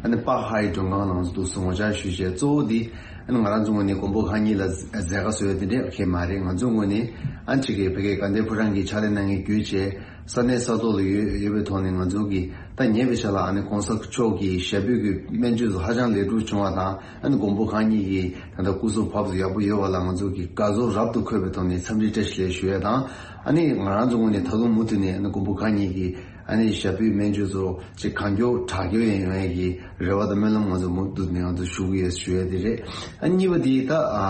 ཨ་ནི་པཱག་ཧའེ་མགྲོན་ཁང་ནང་དུ་སོང་ངོ་ཅག་ཞུས་བྱས། གཙོ་བོ་འདི་ཨ་ནི་ང་རང་ཚོ་ངོས་ནས་མགོན་པོ་གང་ཉིད་ལ་མཛད་དཀའ་བཟོ་ཡ་དེ་འདྲས་ཁེལ་མ་རེད། ང་ཚོ་ངོས་ནས་ཨ་ནི་ཅིག་གི་ཕ་གིའི་དགའ་ལྡན་ཕོ་བྲང་གི་ཕྱག་ལས་གནང་མཁན་བརྒྱུད་བྱས་ས་གནས་ས་ཐོག་ལ་ཡོད་ཡོད་པའི་ཐོག་ནས་ང་ཚོ་གི་ད་ཉེ་བའི་ཆར་ལ་ཨ་ནི་༸གོང་ས་མཆོག་གི་ཞབས་པུས་ཀྱི་སྨན་བཅོས་སུ་ཧ་ཅང་ལེགས་གྲུབ་བྱུང་བ་དང་། ཨ་ནི་མགོན་པོ་གང་ཉིད་ཀྱི་ད་ལྟ་སྐུ་གཟུགས་ཕབ་ཡག་པོ་ཡོད་པ་ལ་ང་ཚོ་གི་དགའ་ཚོར་རབ་ཏུ་འཁོལ་བའི་ཐོག་ནས་འཚམས་འདྲི་བཀྲ་ཤིས་བདེ་ལེགས་ཞུ་ཡ་དང་། ཨ་ནི་ང་རང་ཚོ་ངོས་ནས་ད་དུང་མུ་མཐུད་ནས་ཨ་ནི་མགོན་པོ་གང་ཉིད་ཀྱི་ ཨ་ནི་ཞབས་པུས་སྨན་བཅོས་ཚོ་ཅིག་གང་མགྱོགས་དྲག་སྐྱེད་ཡོང་ཡས་ཀྱི་རེ་བ་དང་སྨོན་ལམ་ང་ཚོ་མུ་མཐུད་ནས་ང་ཚོ་ཞུ་གི་ཡོད་ཞུ་ཡས་དེ་རེད། ཨ་གཉིས་པ་དེ་ད་ཨ་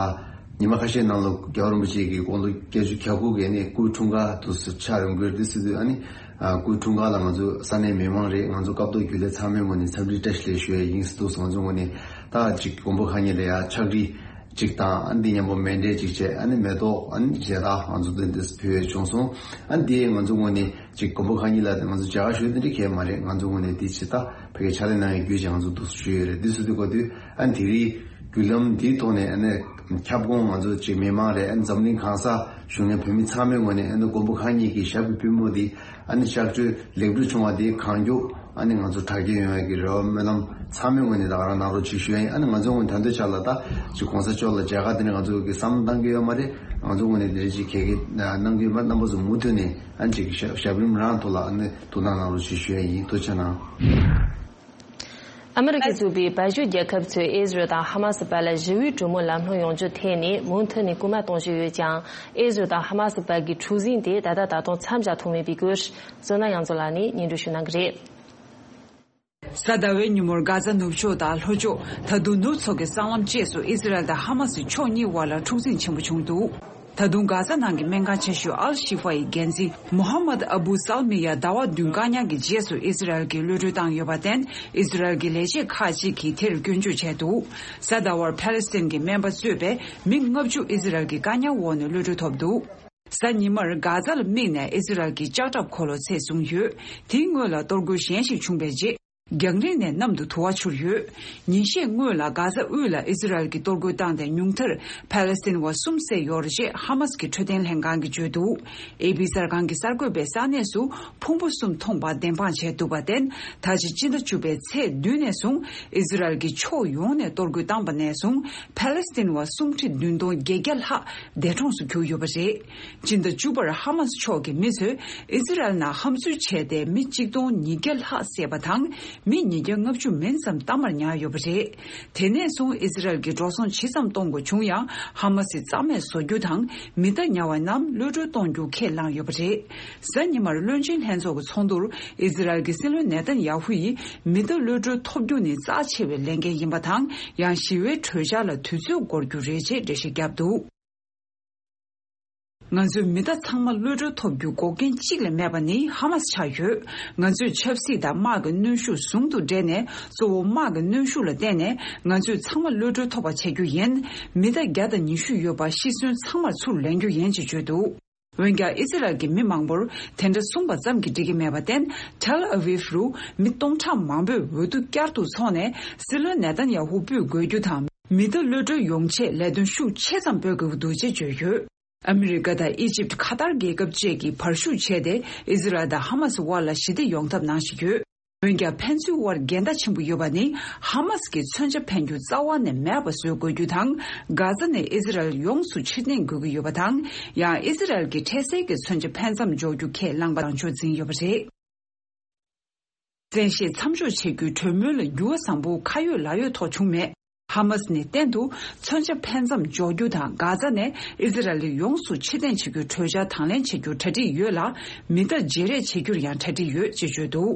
ཉི་མ་ཁ་ཤས་ནང་ལ་རྒྱལ་བ་རིན་པོ་ཆེ་གི་དགུང་ལོ་བརྒྱད་ཅུ་གྱ་དགུ་གི་ཨ་ནི་སྐུའི་འཁྲུངས་སྐར་དུ་ཆགས་ཡོང་གི་རེད། དེ་སྲིད་དུ་ཨ་ནི་ཨ་སྐུའི་འཁྲུངས་སྐར་ལ་ང་ཚོ་ས་གནས་མི་མང་རེད། ང་ཚོ་སྐབས་ཐོག་རྒྱུན་ལས་ཚང་མའི་ངོས་ནས་འཚམས་འདྲི་བཀྲ་ཤིས་བདེ་ལེགས་ཞུ་ཡས་ཡིན། སྲིད་དུ་ང་ཚོ་ངོས་ནས་ད་ཅིག་མགོན་པོ་གང་ཉིད་ལ་ཡ་ཕྱག་བྲིས་གཅིག་དང་། ཨ་འདི་མཉམ་པོ་མཎྜལ་གཅིག་བྱས། ཨ་ནི་མེ་ཏོག་ཨ་ནི་མཇལ་དར་ང་ཚོ་འདི་འདི་ཕུལ་བྱུང་སོང་། ཨ་འདི་ང་ཚོ་ངོས་ནས་ཅིག་མགོན་པོ་གང་ཉིད་ལ་ང་ཚོ་མཇལ་ཁ་ཞུ་འདི་འདྲ་གས་མ་རེད། ང་ཚོ་ངོས་ནས་འདི་ཇི་ལྟ་བོད་ཀྱི་ཕྱག་ལས་གནང་ཡའི་བརྒྱུད་ཅིག་ང་ཚོ་འདུག་ཞུ་ཡོད་རེད། འདི་སུ་འདི་གོ་དུས་ཨ་འདི་རིགས་བརྒྱུད་ལམ་འདིའི་ཐོག་ནས་ཨ་ནི་ཁྱབ་ཁོངས་ང་ཚོ་ཅིག་མི་མང་རེད། ཨ་འཛམ་གླིང་གང་ས་བཞུགས་མཁན་བོད་མི་ཚང་མའི་ངོས་ནས་ཨ་ནི་མགོན་པོ་གང་ཉིད་ཀྱི་ཞབས་ཀྱི་པུས་མོ་འདི་ཨ་ནི་གཤག་བཅོས་ལེགས་གྲུབ་བྱུང་བ་དེ་གང་མགྱོགས་ཨ་ནི་ང་ཚོ་དྲག་སྐྱེད་ཡོང་ཡག་གི་རེ་བ་སྨོན་ལམ་ཚང་མའི་ངོས་ནས་ད་ག་རང་གནང་རོགས་ཅིག་ཞུ་ཡ་ཡིན། ཨ་ནི་ང་ཚོའི་ངོས་ནས་ད་ལྟའི་ཆ་ལ་ད་ཅིག་གོང་ས་མཆོག་ལ་མཇལ་ཁ་དེ་ནས་ང་ཚོ་གི་བསམ་བློ་བཏང་གི་ཡོད་མ་རེད། ང་ཚོའི་ངོས་ནས་དེ་རིང་ཅིག་གལ་གལ་གནང་གི་ཡོད་མ་རེད། རྣམ་པ་ཚོ་མུ་མཐུད་ནས་ཨ་ནི་ཅིག་ཞབས་ཞབས་རིམ་རང་ཐོག་ལ་ཨ་ནི་ཐུགས་སྣང་གནང་རོགས་ཅིག་ཞུ་ཡ་ཡིན། ཐུགས་རྗེ་གནང་། ཨ་མི་རི་ཀས་བཙུགས་པའི་བལ་ཡུལ་རྒྱལ་ཁབ་ཚོས་ཨི་ཟི་རལ་དང་ཧ་མ་སི་བར་ལ་ཞི་བའི་གྲོས་མོལ་ལམ་ལྷོང་ཡོང་རྒྱུ་ཐད་ནས་མུ་མཐུད་ནས་སྐུལ་མ་གཏོང་བཞིན་ཡོད་ཀྱང་། ཨི་ཟི་རལ་དང་ཧ་མ་སི་བར་གྱི་འཁྲུག་ཟིང་དེ་ད་ལྟ་ད་དུང་མཚམས་བཞག་ཐུབ་མེད་པའི་སྐོར། བསོད་ནམས་དབྱངས་མཚོ་ལགས་ནས་སྙན་སྒྲོན་ཞུ་གནང་གི་རེད། གཟའ་ཟླ་བའི་ཉིན་མོར་གྷ་ཛ་ནུབ་ཕྱོགས་དང་ལྷོ་ཕྱོགས། ད་དུང་ནུབ་མཚོ་གི་སྲང་ལམ་བཅས་སུ་ཨི་ཟི་རལ་དང་ཧ་མ་སི་ཕྱོགས་གཉིས་དབར་ལ་འཁྲུག་ཟིང་ཆེན་པོ་བྱུང་འདུག་ད་དུང་གྷ་ཛ་ནང་གི་སྨན་ཁང་ཆེ་ཤོས་ཨལ་ཤི་ཧྥ་ཡི་འགན་འཛིན་མོ་ཧམ་མད་ཨ་བུ་སལ་མི་ཡ་ཟླ་བ་བདུན་བཀག་ཉར་གྱི་རྗེས་སུ་ཨི་ཟི་རལ་གྱིས་གློད་གྲོལ་བཏང་ཡོད་པར་བརྟེན། ཨི་ཟི་རལ་གྱི་ལས་བྱེད་ཁག་ཅིག་གིས་དེར་སྐྱོན་བརྗོད་བྱས་འདུག་གཟའ་ཟླ་བར་ཕཱ་ལེ་སི་ཐན་གྱི་སྨན་པ་གཙོས་པའི་མི་ལྔ་བཅུ་ཨི་ཟི་རལ་གྱི་བཀག་ཉར་འོག་ནས་གློད་གྲོལ་ཐོབ་འདུག་གཟའ་ཉི་མར་གྷ་ཛ་ལ་དམིགས་ནས་ཨི་ཟི་རལ་གྱི་ལྕགས་ཁྲབ་འཁོར་ལོ་ཚད་བཟུང་ཡོད། དེའི་སྔོན་ལ་གཏོར་རྒོལ་གཞན་ཞིག་བྱུང་བའི་རྗེས། རྒྱང་རིང་ནས་གནམ་དུ་དུ་བ་འཕྱུར་ཡོད། ཉིན་ཤས་སྔོན་ལ་གྷ་ཛ་དབུས་ལ་ཨི་ཟི་རལ་གྱིས་གཏོར་རྒོལ་བཏང་སྟེ་ཉུང་མཐར་ཕཱ་ལེ་སི་ཐན་བ་གསུམ་བསད་ཡོད་རེད་ཅེས་ཧ་མ་སི་གི་འཕྲོད་བསྟེན་ལྷན་ཁང་གིས་བརྗོད་འདུག་ཨེ་པི་གསར་ཁང་གིས་གསར་འགོད་པའི་ས་གནས་སུ་ཕུང་པོ་གསུམ་མཐོང་པ་བདེན་དཔང་བྱས་འདུག་པར་བརྟེན། ད་ཆ་སྤྱི་ཟླ་བཅུ་པའི་ཚེས་བདུན་ནས་བཟུང་ཨི་ཟི་རལ་གྱིས་ཕྱོགས་ཡོངས་ནས་གཏོར་རྒོལ་བཏང་པ་ནས་བཟུང་ཕཱ་ལེ་སི་ཐན་བ་སུམ་ཁྲི་བདུན་སྟོང་བརྒྱད་བརྒྱ་ལྷག་འདས་གྲོངས་སུ་གྱུར་ཡོད་པ་རེད། སྤྱི་ཟླ་བཅུ་པར་ཧ་མ་སི་ཕྱོགས་ཀྱི་མི་ཚོས་ཨི་ཟི་རལ་ནང་འཐབ་རྩོད་བྱས་ཏེ་མི་གཅིག་སྟོང་ཉིས་བརྒྱ་ལྷག་བསད་པ་དང་། མི་ཉིས་བརྒྱ་ལྔ་བཅུ་མིན་ཙམ་གཏའ་མར་ཉར་ཡོད་པ་རེད། དེ་ནས་བཟུང་ཨི་ཟི་རལ་གྱིས་འགྲོ་སོང་ཇི་ཙམ་གཏོང་དགོས་བྱུང་ཡང་། ཧ་མ་སི་རྩ་མེད་བཟོ་རྒྱུ་དང་། མི་གདའ་ཉར་བ་རྣམས་གློད་གྲོལ་གཏོང་རྒྱུ་ཁས་བླངས་ཡོད་པ་རེད། གཟའ་ཉི་མར་བློན་ཆེན་ལྷན་ཚོགས་ཀྱི་ཚོགས་འདུར་ཨི་ཟི་རལ་གྱི་སྲིད་བློན་ནེ་ཐན་ཡ་ཧུ་ཡིས་མི་གདའ་གློད་གྲོལ་ཐོབ་རྒྱུ་ནི་རྩ་ཆེ་བའི་ལས་འགན་ཡིན་པ་དང་། ཡང་ཞི་བའི་གྲོས་འཆར་ལ་དུས་ཚོད་འགོར་རྒྱུ་རེད་ཅེས་འགྲེལ་བཤད་བརྒྱབ་འདུག་ང་ཚོའི་མི་གདའ་ཚང་མ་གློད་གྲོལ་ཐོབ་རྒྱུ་འགོག་རྐྱེན་གཅིག་ལས་མེད་པ་ནི་ཧ་མ་སི་ཆགས་ཡོད། ང་ཚོས་ཆབ་སྲིད་དང་དམག་གི་གནོན་ཤུགས་ཟུང་དུ་སྦྲེལ་ནས། གཙོ་བོ་དམག་གི་གནོན་ཤུགས་ལ་བརྟེན་ནས་ང་ཚོས་ཚང་མ་གློད་གྲོལ་ཐོབ་པ་བྱེད་རྒྱུ་ཡིན། མི་གདའ་བརྒྱ་དང་ཉི་ཤུ་ཡོད་པ་ཤི་གསོན་ཚང་མར་ཚུར་ལེན་རྒྱུ་ཡིན་ཅེས་བརྗོད་འདུག་འོན་ཀྱང་ཨི་ཟི་རལ་གྱི་མི་མང་པོར་དེ་འདྲ་གསུངས་པ་ཙམ་གྱིས་འགྲིག་གི་མེད་པར་བརྟེན། ཐེལ་ཨ་ཝིབ་རུ་མི་སྟོང་ཕྲག་མང་པོས་འོས་བསྡུ་བསྐྱར་དུ་འཚོགས་ནས་སྲིད་བློན་ནེ་ཐན་ཡ་ཧུ་སྤོས་དགོས་རྒྱུ་དང་། མི་གདའ་གློད་གྲོལ་ཡོང་ཆེད་ལས་དོན་ཤུགས་ཆེ་ཙམ་སྤེལ་དགོས་ཀྱི་འདུག་ཅེས་བརྗོད་ཡོད། ཨ་མི་རི་ཀ་དང་ཨི་ཇིབ། ཁ་ཏར་རྒྱལ་ཁབ་བཅས་ཀྱིས་བར་ཞུགས་བྱས་ཏེ་ཨི་ཟི་རལ་དང་ཧ་མ་སི་དབར་ལ་ཞི་བདེ་ཡོང་ཐབས་གནང་བཞིན་ཡོད། འོན་ཀྱང་ཕན་ཚུན་དབར་འགལ་ཟླ་ཆེན་པོ་ཡོད་པ་ནི་ཧ་མ་སི་གིས་མཚོན་ཆ་འཕེན་རྒྱུ་རྩ་བ་ནས་མེད་པ་བཟོ་དགོས་རྒྱུ་དང་། གྷ་ཛ་ནས་ཨི་ཟི་རལ་ཡོངས་སུ་ཕྱིར་འཐེན་དགོས་ཀྱི་ཡོད་པ་དང་། ཡང་ཨི་ཟི་རལ་གྱིས་འཕྲལ་སེལ་གྱི་མཚོན་ཆ་འཕེན་མཚམས་འཇོག་རྒྱུ་ཁས་བླངས་པ་དང་ཕྱོགས་འཛིན་ཡོད་པ་རེད། བཙན་ཤེད་མཚམས་འཇོག་བྱེད་རྒྱུའི་གྲོས་མོལ་ལ་འགྱུར་བ་བཟང་པོ་ཁ་ཡོད་ལག་ཡོད་ཐོག་བྱུང་མེད། ཧ་མ་སི་ནི་གཏན་དུ་མཚོན་ཆ་འཕེན་མཚམས་འཇོག་རྒྱུ་དང་། གྷ་ཛ་ནས་ཨི་ཟི་རལ་ཡོངས་སུ་ཕྱིར་འཐེན་བྱེད་རྒྱུའི་གྲོས་འཆར་དང་ལེན་བྱེད་རྒྱུར་གྲ་སྒྲིག་ཡོད་ལ། མི་གདའ་བརྗེ་རེས་བྱེད་རྒྱུར་ཡང་གྲ་སྒྲིག་ཡོད་ཅེས་བརྗོད་འདུག་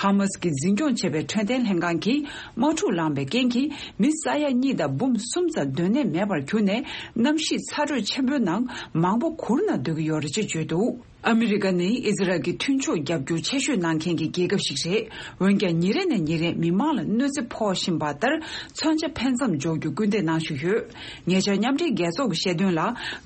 ཧ་མ་སི་གིས་འཛིན་སྐྱོང་བྱས་པའི་འཕྲོད་བསྟེན་ལྷན་ཁང་གིས་དམག་འཁྲུག་ལངས་པའི་རྐྱེན་གྱིས་མི་ས་ཡ་གཉིས་དང་འབུམ་གསུམ་ཙམ་སྡོད་གནས་མེད་པར་གྱུར་ནས། གནམ་གཤིས་ཚ་དྲོད་ཆེན་པོའི་ནང་མང་པོ་གུར་ནང་སྡོད་ཀྱི་ཡོད་རེད་ཅེས་བརྗོད་འདུག་ཨ་མི་རི་ཀ་ནི་ཨི་ཟི་རལ་གྱི་མཐུན་ཕྱོགས་རྒྱབ་སྐྱོར་ཆེ་ཤོས་གནང་མཁན་གྱི་རྒྱལ་ཁབ་ཞིག་རེད། འོན་ཀྱང་ཉིན་རེ་ནས་ཉིན་རེར་མི་མང་ལ་གནོད་འཚེ་ཕོག་བཞིན་པ་ལྟར། མཚོན་ཆ་འཕེན་མཚམས་འཇོག་རྒྱུར་སྐུལ་འདེད་གནང་བཞིན་ཡོད། ཉེ་ཆར་མཉམ་འབྲེལ་རྒྱལ་ཚོགས་ཀྱིས་བཤད་དོན་ལ།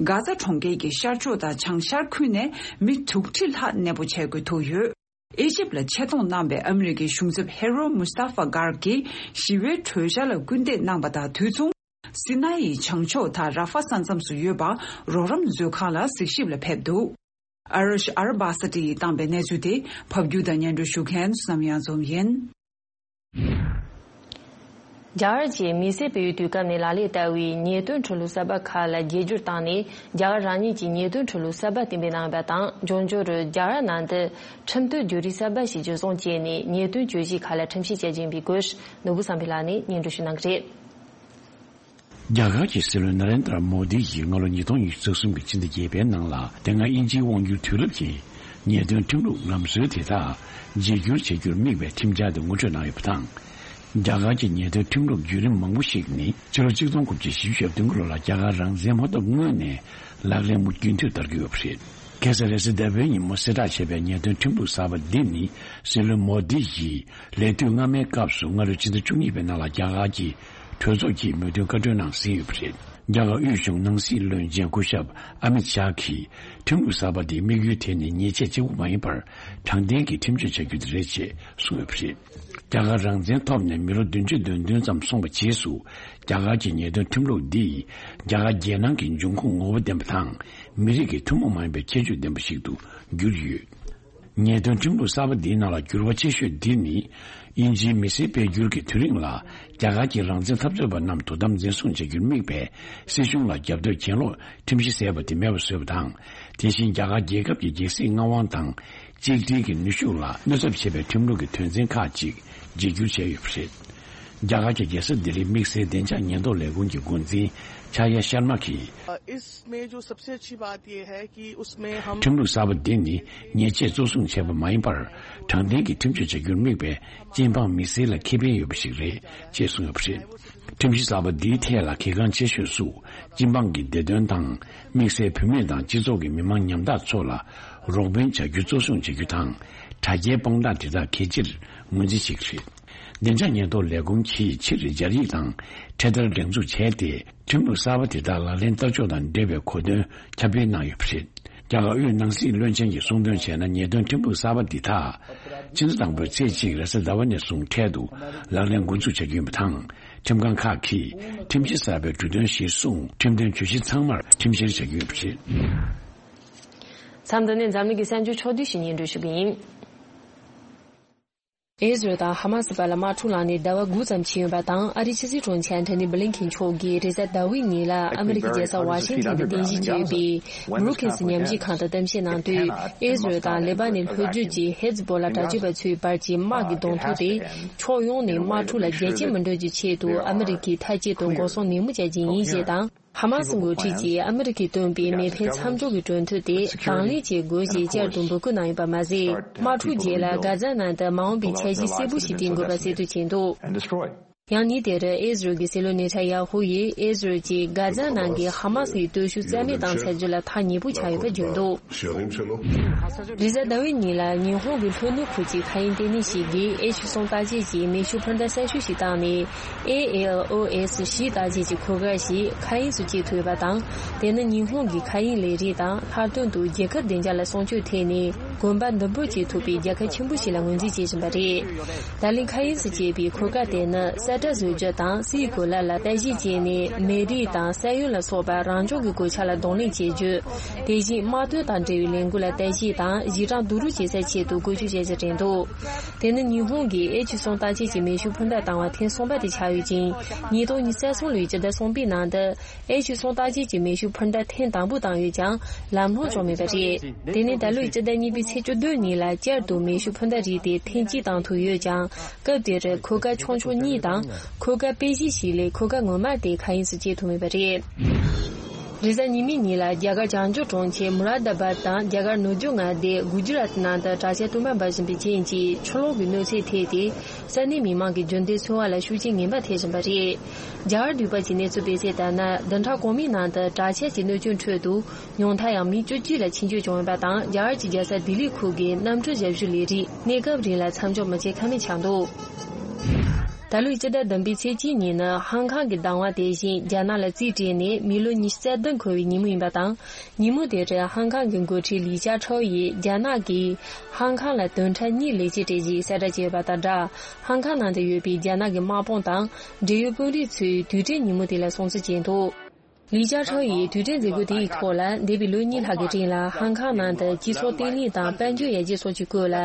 གྷ་ཛ་གྲོང་ཁྱེར་གྱི་ཤར་ཕྱོགས་དང་བྱང་ཤར་ཁུལ་ནས་མི་དྲུག་ཁྲི་ལྷག་གནས་སྤོ་བྱ་དགོས་ཐུག་ཡོད། ཨི་ཇིབ་ལ་ཆེད་གཏོང་གནང་པའི་ཨ་མི་རི་ཀའི་གཞུང་ཚབ་ཧེ་རོ་མུ་སྟ་ཧྥ་གྷར་གྱིས་ཞི་བའི་གྲོས་འཆར་ལ་སྐུལ་འདེད་གནང་པ་དང་དུས་མཚུངས། སི་ན་ཡི་བྱང་ཕྱོགས་དང་ར་ཧྥ་ས་མཚམས་སུ་ཡོད་པ་རོགས་རམ་མཛོད་ཁང་ལ་གཟིགས་ཞིབ་ལ་ཕེབས་འདུག་ཨ་རོ་ཤ་ཨར་བྷ་ས་ཏི་ཡིས་བཏང་པའི་གནས་ཚུལ་དེ་ཕབ་སྒྱུར་དང་སྙན་སྒྲོན་ཞུ་མཁན་བསོད་ནམས་གཡང་འཛོམས་ཡིན། རྒྱ་གར་གྱིས་མི་སེར་སྤེལ་བའི་དུས་སྐབས་ནས་ལག་ལེན་བསྟར་བའི་ཉེས་དོན་འཁྲོལ་བསྡུ་གསར་པ་ཁག་ལ་རྒྱས་སྒྱུར་བཏང་ནས། རྒྱ་གར་རང་ཉིད་ཀྱི་ཉེས་དོན་འཁྲོལ་བསྡུ་གསར་པ་གཏན་འབེབས་གནང་ཡོད་པ་དང་། འབྱུང་འགྱུར་རྒྱ་གར་ནང་དུ་ཁྲིམས་གཏོད་བརྒྱུད་རིམ་གསར་པ་ཞིག་འཇུ་བཟུང་བྱས་ནས་ཉེས་དོན་གྱོད་གཞི་ཁག་ལ་ཁྲིམས་བཤེར་བྱ་རྒྱུ་ཡིན་པའི་སྐོར་ནོར་བུ་བསམ་འཕེལ་ལགས་ནས་སྙན་སྒྲོན་ཞུ་གནང་གི་རེད། རྒྱ་གར་གྱི་སྲིད་བློན་ན་རེན་དྲ་མོ་དི་ཡིས་སྔ་ལོ་ཉིས་སྟོང་ཉི་ཤུ་རྩ་གསུམ་གྱི་ཕྱི་ཟླ་བརྒྱད་པའི་ནང་ལ། དེ་སྔ་དབྱིན་ཇིའི་དབང་སྒྱུར་དུས་རབས་ཀྱི་ ཉེས་དོན་ཁྲིམས་ལུགས་ལམ་སྲོལ་དེ་དག་བརྗེ་བསྒྱུར་བྱེད་རྒྱུར་དམིགས་པའི་ཁྲིམས་འཆར་དེ་ངོ་སྤྲོད་གནང་ཡོད་པ་དང་། རྒྱ་གར་གྱི་ཉེས་དོན་ཁྲིམས་ལུགས་བརྒྱུད་རིམ་མང་པོ་ཞིག་ནི་ཕྱི་ལོ་གཅིག་སྟོང་དགུ་བརྒྱ་བཞི་བཅུ་ཞེ་བདུན་ལོ་ལ་རྒྱ་གར་རང་བཙན་མ་ཐོབ་སྔོན་ནས་ལག་ལེན་མུ་རྒྱུན་མཐུད་བསྟར་གྱི་ཡོད་པ་རེད། ཁ་སང་རེས་གཟའ་ཟླ་བའི་ཉིན་མོ་གསལ་བསྒྲགས་བྱས་པའི་ཉེས་དོན་ཁྲིམས་ལུགས་གསར་པ་འདི་ནི་སྲིད་བློན་མོ་དི་ཡིས་ལས་དུས་སྔ་མའི་སྐབས་སུ་སྔ་ལོའི་ཕྱི་ཟླ་བཅུ་གཉིས་པའི་ནང་ལ་རྒྱ་གར་གྱི་གྲོས་ཚོགས་ཀྱིས་མོས་མཐུན་བཀའ་འཁྲོལ་གནང་ཟིན་ཡོད་པ་རེད། རྒྱ་གར་དབུས་གཞུང་ནང་སྲིད་བློན་ཆེན་སྐུ་ཞབས་ཨ་མིད་ཤཱ་གིས་ཁྲིམས་ལུགས་གསར་པ་འདིའི་དམིགས་ཡུལ་དེ་ནི་ཉེས་ཆད་གཅིག་པུ་མ་ཡིན་པར་དྲང་བདེན་གྱི་ཁྲིམས་གཅོད་བྱ་རྒྱུ་དེ་རེད་ཅེས་གསུངས་ཡོད་པ་རེད། རྒྱ་གར་རང་བཙན་ཐོབ་ནས་མི་ལོ་བདུན་ཅུ་དོན་བདུན་ཙམ་སོང་བའི་རྗེས་སུ་རྒྱ་གར་གྱི་ཉེས་དོན་ཁྲིམས་ལུགས་འདིས་རྒྱ་གར་རྒྱལ་ནང་གི་འབྱུང་ཁུངས་ངོ་བོ་ལྡན་པ་དང་མི་རིགས་ཀྱི་ཐུན་མོང་མ་ཡིན་པའི་ཁྱད་ཆོས་ལྡན་པ་ཞིག་ཏུ་གྱུར་ཡོད། ཉེས་དོན་ཁྲིམས་ལུགས་གསར་པ་འདིའི་ནང་ལ་འགྱུར་བ་ཆེ་ཤོས་འདི་ནི། དབྱིན་ཇིའི་མི་སེར་སྤེལ་འགྱུར་གྱི་དུས་རིང་ལ། རྒྱ་གར་གྱི་རང་བཙན་འཐབ་རྩོད་པ་རྣམས་དོ་དམ་འཛིན་བཟུང་བྱ་རྒྱུར་དམིགས་པའི་སྲིད་གཞུང་ལ་རྒྱབ་སྐྱོར་གྱེན་ལོག་ཁྲིམས་གཞི་ཟེར་བ་དེ་མེད་པར་བཟོས་པ་དང་། དེ་བཞིན་རྒྱ་གར་རྒྱལ་ཁབ་ཀྱི་རྒྱལ་སྲིད་མངའ་དབང་དང་། གཅིག་སྒྲིལ་གྱི་ནུས་ཤུགས་ལ་གནོད་ཚབས་བྱེད་པའི་ཁྲིམས་ལུགས་ཀྱི་དོན་ཚན་ཁག་ཅིག་བརྗེ་བསྒྱུར་བྱས་ཡོད་པ་རེད། རྒྱ་གར་གྱི་རྒྱལ་ས་ལྡི་ལིའི་དམིགས་བསལ་བདེ་འཇགས་ཉེན་རྟོག་ལས་ཁུངས་ཀྱི་འགོ་འཛིན་ཆ་ཡ་ཤར་མ་གིས། इसमें जो सबसे अच्छी बात यह है कि उसमें हम ཁྲིམས་ལུགས་གསར་པ་འདི་ནི་ཉེས་ཆད་གཙོ་བཟུང་བྱས་པ་མ་ཡིན་པར། དྲང་བདེན་གྱི་ཁྲིམས་གཅོད་བྱ་རྒྱུར་དམིགས་པའི་སྤྱི་འབངས་མི་སེར་ལ་ཁེ་ཕན་ཡོད་པ་ཞིག་རེད་ཅེས་གསུངས་ཡོད་པ་རེད། ཁྲིམས་གཞི་གསར་པ་འདིའི་ཐད་ལ་གལ་འགངས་ཆེ་ཤོས་སུ། སྤྱི་འབངས་ཀྱི་བདེ་དོན་དང་། དམིགས་བསལ་བུད་མེད་དང་སྤྱི་ཚོགས་ཀྱི་མི་མང་ཉམ་ཐག་ཚོ་ལ་རོགས་ཕན་བྱ་རྒྱུ་གཙོ་བཟུང་བྱ་རྒྱུ་དང་། དྲ་རྒྱའི་དཔང་རྟགས་དེ་དག་གལ་ཆེར་ངོས་འཛིན་བྱེད་ཀྱི་རེད། བདེ་འཇགས་ཉེན་རྟོག་ལས་ཁུངས་ཀྱིས་ཕྱིར་སྦྱར་ཡིག་དང་འཕྲེད་དར་སྒྲེང་འཛུགས་བྱས་ཏེ། ཁྲིམས་ལུགས་གསར་པ་དེ་དག་ལག་ལེན་བསྟར་ཕྱོགས་དང་འབྲེལ་བའི་གོ་སྟོན་ཁྱབ་སྤེལ་གནང་ཡོད་པ་རེད། རྒྱ་གར་དབུས་ནང་སྲིད་བློན་ཆེན་གྱིས་གསུངས་དོན་བྱས་ན། ཉེས་དོན་ཁྲིམས་ལུགས་གསར་པ་འདི་དག་ཕྱི་ཟླ་དང་པོའི་ཚེས་གཅིག་རེས་གཟའ་ཟླ་བ་ནས་བཟུང་འཕྲལ་དུ་ལག་ལེན་འགོ་འཛུགས་བྱ་རྒྱུ་ཡིན་པ་དང་། ཁྲིམས་ཁང་ཁག་གིས་ཁྲིམས་གཞི་གསར་པའི་འབྲུ་དོན་གཞིར་བཟུང་ཁྲིམས་དོན་གྱོད་གཞི་ཚང་མར་ཁྲིམས་བཤེར་བྱ་རྒྱུ་ཡིན་པ་རེད། མཚམས་འདི་ནས་འཛམ་གླིང་གི་གསར་འགྱུར་ཕྱོགས་བསྡུས་ཤིག་སྙན་སྒྲོན་ཞུ་གི་ཡིན། ཨི་ཟི་རལ་དང་ཧ་མ་སི་བར་ལ་དམག་འཁྲུག་ལངས་ནས་ཟླ་བ་དགུ་ཙམ་ཕྱིན་ཡོད་པ་དང་། ཨ་རིའི་ཕྱི་སྲིད་དྲུང་ཆེ་ཨན་ཐོ་ནི་བྷི་ལིན་ཁིན་མཆོག་གིས་རེས་གཟའ་ཟླ་བའི་ཉིན་ལ་ཨ་མི་རི་ཀའི་རྒྱལ་ས་ཝ་ཤིང་ཊོན་དུ་རྟེན་གཞི་བྱས་ཡོད་པའི་བྷུ་རུ་ཁིན་སི་ཉམས་ཞིབ་ཁང་དང་གཏམ་བཤད་གནང་དུས། ཨི་ཟི་རལ་དང་ལེ་པ་ནན་ལྷོ་རྒྱུད་ཀྱི་ཧེ་ཛི་བྷོ་ལ་དྲག་སྤྱོད་པ་ཚོའི་བར་གྱི་དམག་གི་གདོང་ཐུག་དེ་ཕྱོགས་ཡོངས་ནས་དམག་འཁྲུག་ལ་རྒྱ་སྐྱེད་མི་འགྲོ་རྒྱུའི་ཆེད་དུ་ཨ་མི་རི་ཀས་མཐའ་གཅིག་ཏུ་འགོག་སྲུང་ནན་མོ་བྱ་རྒྱུ་ཡིན་ཞེས་དང་། ཧ་མ་སི་འགོ་ཁྲིད་ཀྱིས་ཨ་མི་རི་ཀས་བཏོན་པའི་མེ་འཕེན་མཚམས་འཇོག་གི་གྲོས་མཐུན་དེ་དང་ལེན་བྱེད་དགོས་ཞེས་བསྐྱར་དུ་འབོད་སྐུལ་གནང་ཡོད་པ་མ་ཟད། དམག་འཁྲུག་རྗེས་ལ་གྷ་ཛ་ནང་དུ་མ་འོངས་པའི་འཆར་གཞི་གསལ་པོ་ཞིག་བཏིང་དགོས་པ་གསལ་སྟོན་བྱས་འདུག་ཡང་ཉིན་དེར་ཨི་ཟི་རལ་གྱི་སྲིད་བློན་ནེ་ཐན་ཡ་ཧུ་ཡིས་ཨི་ཟི་རལ་གྱིས་གྷ་ཛ་ནང་གི་ཧ་མ་སི་ཡི་སྟོབས་ཤུགས་རྩ་མེད་བཏང་ཚར་རྒྱུ་ལ་ཐག་ཉེ་པོ་ཆགས་ཡོད་པ་བརྗོད་འདུག་རེས་གཟའ་ཟླ་བའི་ཉིན་ལ་ཉི་ཧོང་གི་ལྷོ་ནུབ་ཁུལ་གྱི་མཁའ་དབྱིངས་ལྟེ་གནས་ཤིག་གིས་ཨེཆ་གསུམ་བརྟག་དཔྱད་ཀྱི་མེ་ཤུགས་འཕུར་མདའ་གསར་ཤོས་ཤིག་བཏང་ནས། ཨེ་ཨེལ་ཨོ་ཨེས་བཞི་བརྟག་དཔྱད་ཀྱི་འཁོར་སྐར་ཞིག་མཁའ་དབྱིངས་སུ་སྐྱེལ་ཐུབ་ཡོད་པ་དང་། དེ་ནི་ཉི་ཧོང་གི་མཁའ་དབྱིངས་ལས་རིགས་དང་ལྷག་དོན་དུ་རྒྱལ་ཁབ་བདེ་འཇགས་ལ་སྲུང་སྐྱོབ་ཐད་ནས་གོམ་པ་མདུན་སྤོ་བྱེད་ཐུབ་པའི་རྒྱལ་ཁ་ཆེན་པོ་ཞིག་ལ་ངོས་འཛིན་བྱེད་བཞིན་པ་རེད། ད་ལན་མཁའ་དབྱིངས་སུ་སྐྱེལ་བའི་འཁོར་སྐར་དེ་ནི་ས་ཁྲ་བཟོ་རྒྱུ་དང་སའི་གོ་ལ་ལ་ལྟ་ཞིབ་བྱས་ནས་མེ་རིས་དང་ས་ཡོམ་ལ་སོགས་པ་རང་བྱུང་གི་གོད་ཆག་ལ་གདོང་ལེན་བྱེད་རྒྱུ། དེ་བཞིན་དམག་དོན་དང་འབྲེལ་བའི་ལས་འགུལ་ལ་ལྟ་ཞིབ་དང་གཞི་གྲངས་བསྡུ་རུབ་བྱེད་སའི་ཆེད་དུ་བཀོལ་སྤྱོད་བྱེད་ཀྱི་རེད་འདུག་དེ་ནི་ཉི་ཧོང་གིས་ཨེཆ་གསུམ་བརྟག་དཔྱད་ཀྱི་མེ་ཤུགས་འཕུར་མདའ་བཏང་བ་ཐེངས་གསུམ་པ་དེ་ཆགས་ཡོད་ཅིང་། ཉིས་སྟོང་ཉི་ཤུ་རྩ་གསུམ་ལོའི་སྤྱི་ཟླ་གསུམ་པའི་ནང་དུ་ཨེཆ་གསུམ་བརྟག་དཔྱད་ཀྱི་མེ་ཤུགས་འཕུར་མདའ་ཐེངས་དང་པོ་བཏང་ཡོད་ཀྱང་ལམ་ལྷོང་བྱུང་མེད་པ་རེད། དེ་ནི་ད་ལོའི་སྤྱི་ཟླ་གཉིས་པའི་ཚེས་བཅུ་བདུན་ཉིན་ལ་བསྐྱར་དུ་མེ་ཤུགས་འཕུར་མདའ་རིགས་དེ་ཐེངས་གཅིག་བཏང་ཐུབ་ཡོད་ཀྱང་། སྐབས་དེར་འཁོར་སྐར་ཆུང་ཆུང་གཉིས་དང་འཁོར་སྐར་དཔེ་གཞི་ཞིག་ལས་འཁོར་སྐར་ངོ་མ་དེ་མཁའ་དབྱིངས་སུ་སྐྱེལ་ཐུབ་མེད་པ་རེད། རེས་གཟའ་ཉི་མའི་ཉིན་ལ་རྒྱ་གར་བྱང་ཕྱོགས་གྲོང་ཁྱེར་མུ་རཱ་ད་བཱད་དང་རྒྱ་གར་ནུབ་རྒྱུད་མངའ་སྡེ་གུ་ཇི་རཱཏ་ནང་དུ་དྲག་ཆར་སྟོང་པ་འབབ་བཞིན་པའི་རྐྱེན་གྱིས་ཆུ་ལོག་གི་གནོད་འཚེ་ཐེབས་ཏེ། ས་གནས་མི་མང་གི་རྒྱུན་ལྡན་འཚོ་བ་ལ་ཤུགས་རྐྱེན་ངན་པ་ཐེབས་བཞིན་པ་རེད། རྒྱ་གར་འདུས་པ་གྱི་གནས་ཚུལ་སྤེལ་གསལ་ལྟར་ན། བདུན་ཕྲག་གོང་མའི་ནང་དུ་དྲག་ཆར་གྱི་གནོད་སྐྱོན་ཁྲོད་དུ་ཉུང་མཐར་ཡང་མི་བཅུ་གཅིག་ལ་འཆིང་སྐྱོན་བྱུང་ཡོད་པ་དང་། རྒྱ་གར་གྱི་རྒྱལ་ས་ལྡི་ལི་ཁུལ་གྱི་གནམ་གྲུ་ཞབས་ཞུ་ལས་རིགས་གནས་སྐབས་རིང་ལ་མཚམས་འཇོག་མི་བྱེད་ཀ་མེད་ཆགས་འདུག་ད་ལོའི་སྤྱི་ཟླ་བདུན་པའི་ཚེས་གཅིག་ཉིན་ནི་ཧང་ཀང་གི་བདག་དབང་དེ་བཞིན་རྒྱ་ནག་ལ་རྩིས་སྤྲད་ནས་མི་ལོ་ཉི་ཤུ་རྩ་བདུན་འཁོར་བའི་ཉིན་མོ་ཡིན་པ་དང་། ཉིན་མོ་དེར་ཧང་ཀང་གི་འགོ་ཁྲིད་ལི་ཅཱ་ཁྲའོ་ཡིས་རྒྱ་ནག་གིས་ཧང་ཀང་ལ་བདུན་ཕྲག་གཉིས་ལས་བྱེད་སྤྲད་རྗེས་གསལ་བསྒྲགས་བྱས་ཡོད་པ་དང་སྦྲགས། ཧང་ཀང་ནང་དུ་ཡོད་པའི་རྒྱ་ནག་གི་དམག་དཔུང་དང་འབྲེལ་ཡོད་དཔོན་རིགས་ཚོས་དུས་དྲན་ཉིན་མོ་དེ་ལ་སྲུང་བརྩི་བྱས་འདུག་ལི་ཅཱ་ཁྲའོ་ཡིས་དུས་དྲན་མཛད་སྒོ་དེའི་ཐོག་ལ། འདས་པའི་ལོ་གཉིས་ལྷག་གི་རིང་ལ་ཧང་ཀང་ནང་དུ་སྤྱི་ཚོགས་བརྟན་ལྷིང་དང་དཔལ་འབྱོར་ཡར་རྒྱས་སོགས་ཀྱི་སྐོར་ལ་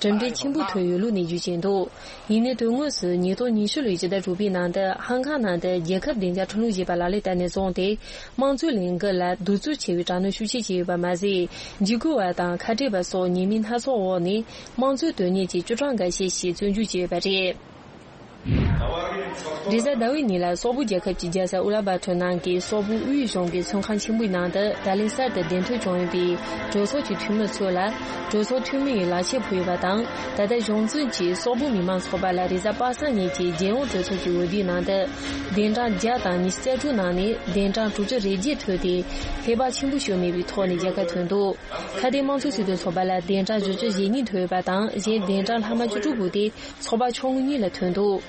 གྲུབ་འབྲས་ཆེན་པོ་ཐོན་ཡོད་ལུགས་ནས་བརྗོད་བཞིན་འདུག་ཡིན་ནའི་དོན་དངོས་སུ་ཉིས་སྟོང་ཉི་ཤུ་ལོའི་སྤྱི་ཟླ་དྲུག་པའི་ནང་དུ་ཧང་ཀང་ནང་དུ་རྒྱལ་ཁབ་བདེ་འཇགས་ཁྲིམས་ལུགས་ཞེས་པ་ལག་ལེན་བསྟར་ནས་བཟུང་སྟེ། དམངས་གཙོའི་ལས་འགུལ་ལ་གདུག་རྩུབ་ཆེ་བའི་དྲག་གནོན་ཤུགས་ཆེ་བྱས་ཡོད་པ་མ་ཟད། འཇིགས་སྐུལ་བ་དང་ཁ་བྲལ་བ་སོགས་ཉེས་མིང་སྣ་ཚོགས་འོག་ནས་དམངས་གཙོའི་དོན་གཉེར་གྱི་བཅུ་གྲངས་འགའ་ཤས་ཤིག་བཙོན་འཇུག་བྱས་ཡོད་པ་རེད། རེས་གཟའ་ཟླ་བའི་ཉིན་ལ་སོག་པོ་རྒྱལ་ཁབ་ཀྱི་རྒྱལ་ས་ཨུ་ལ་བྷ་ཐོར་ནང་གི་སོག་པོ་དབུས་གཞུང་གི་ཚོང་ཁང་ཆེན་པོའི་ནང་དུ་ད་ལན་གསར་དུ་གདན་ཐོན་བྱུང་ཡོད་པའི་གྲོས་ཚོགས་ཀྱི་འཐུས་མི་ཚོ་ལ། གྲོས་ཚོགས་འཐུས་མི་ཡིས་ལག་ཁྱེར་ཕུལ་ཡོད་པ་དང་། ད་ལྟ་གཞུང་འཛིན་གྱིས་སོག་པོ་མི་མང་ཚོགས་པ་ལ་རེས་གཟའ་པ་སངས་ཉིན་གྱི་རྒྱལ་ཡོངས་གྲོས་ཚོགས་ཀྱི་འོས་བསྡུའི་ནང་དུ་གདན་གྲངས་བརྒྱ་དང་ཉི་ཤུ་རྩ་དྲུག་ནང་ནས་གདན་གྲངས་དྲུག་ཅུ་རེ་བརྒྱད་ཐོབ་སྟེ། ཧེ་བག་ཆེན་པོ་ཞིག་མེད་པའི་ཐོག་ནས་རྒྱལ་ཁ་ཐོན་འདུག་ཁ་བརྡའི་དམངས་གཙོའི་སྲིད་དོན་ཚོགས་པ་ལ་གདན་གྲངས་བཞི་ཅུ་ཞེ་གཉིས་ཐོབ་ཡོད་པ་དང་། གཞན་གདན་གྲངས་ལྷག་མ་བཅུ་དྲུག་བུད་དེ་ཚོགས་པ་ཆུང་ངུ་གཉིས་ལ་ཐོན་འདུག་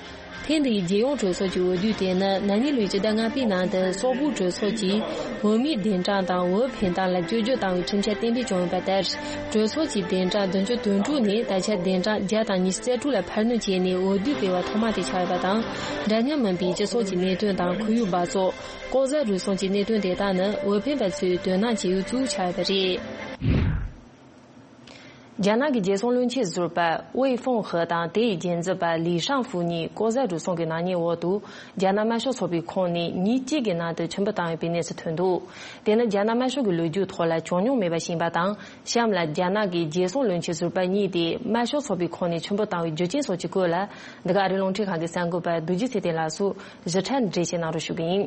ཐེངས་འདིའི་རྒྱལ་ཡོངས་གྲོས་ཚོགས་ཀྱི་འོས་བསྡུ་དེ་ནི་ན་ནིང་ལོའི་སྤྱི་ཟླ་ལྔ་པའི་ནང་དུ་སོག་པོའི་གྲོས་ཚོགས་ཀྱིས་འོས་མིའི་གདན་གྲངས་དང་འོས་འཕེན་སྟངས་ལ་བསྐྱར་བཅོས་བཏང་བའི་ཁྲིམས་འཆར་གཏན་འབེབས་བྱུང་ཡོད་པ་ལྟར། གྲོས་ཚོགས་ཀྱི་གདན་གྲངས་བདུན་ཅུ་དོན་དྲུག་ནས་ད་ཆ་གདན་གྲངས་བརྒྱ་དང་ཉི་ཤུ་རྩ་དྲུག་ལ་འཕར་སྣོན་བྱས་ནས་འོས་བསྡུ་སྤེལ་བ་ཐོག་མ་དེ་ཆགས་ཡོད་པ་དང་། འདྲ་མཉམ་མིན་པའི་སྤྱི་ཚོགས་ཀྱི་གནད་དོན་དང་ཁོར་ཡུག་འབག་བཙོག་ལྐོག་ཟ་རུལ་སུངས་ཀྱི་གནད་དོན་དེ་དག་ནི་འོས་འཕེན་པ་ཚོས་དོ་སྣང་བྱེད་ཡུལ་གཙོ་བོ་ཆགས་ཡོད་པ་རེད། རྒྱ་ནག་གི་རྒྱལ་སྲུང་བློན་ཆེན་ཟུར་པ་ཝེ་ཧྥུང་ཧེ་དང་དེ་ཡི་རྒྱན་འཛིན་པ་ལི་ཧྲང་ཧྥུ་གཉིས་ལྐོག་ཟ་རུལ་སུངས་ཀྱི་ནག་ཉེས་འོག་ཏུ་རྒྱ་ནག་དམར་ཤོག་ཚོགས་པའི་ཁོངས་ནས་ཉིན་གཅིག་གི་ནང་དུ་ཆིབས་འབུལ་བཏང་ཡོད་པའི་གནས་སུ་ཐོན་འདུག་དེ་ནི་རྒྱ་ནག་དམར་ཤོག་གི་ལོ་རྒྱུས་ཐོག་ལ་བྱུང་མྱོང་མེད་པ་ཞིག་ཡིན་པ་དང་། གཤམ་ལ་རྒྱ་ནག་གི་རྒྱལ་སྲུང་བློན་ཆེན་ཟུར་པ་གཉིས་དེ་དམར་ཤོག་ཚོགས་པའི་ཁོངས་ནས་ཆིབས་འབུལ་བཏང་བའི་རྒྱུ་རྐྱེན་སོགས་ཀྱི་སྐོར་ལ། འདི་ག་ཨ་རིའི་རླུང་འཕྲིན་ཁང་གི་གསར་འགོད་པ་རྡོ་རྗེ་ཚེ་བརྟན་ལགས་སུ་ཞིབ་ཕྲ་འགྲེལ་བཤད་གནང་རོགས་ཞུ་གི་ཡིན།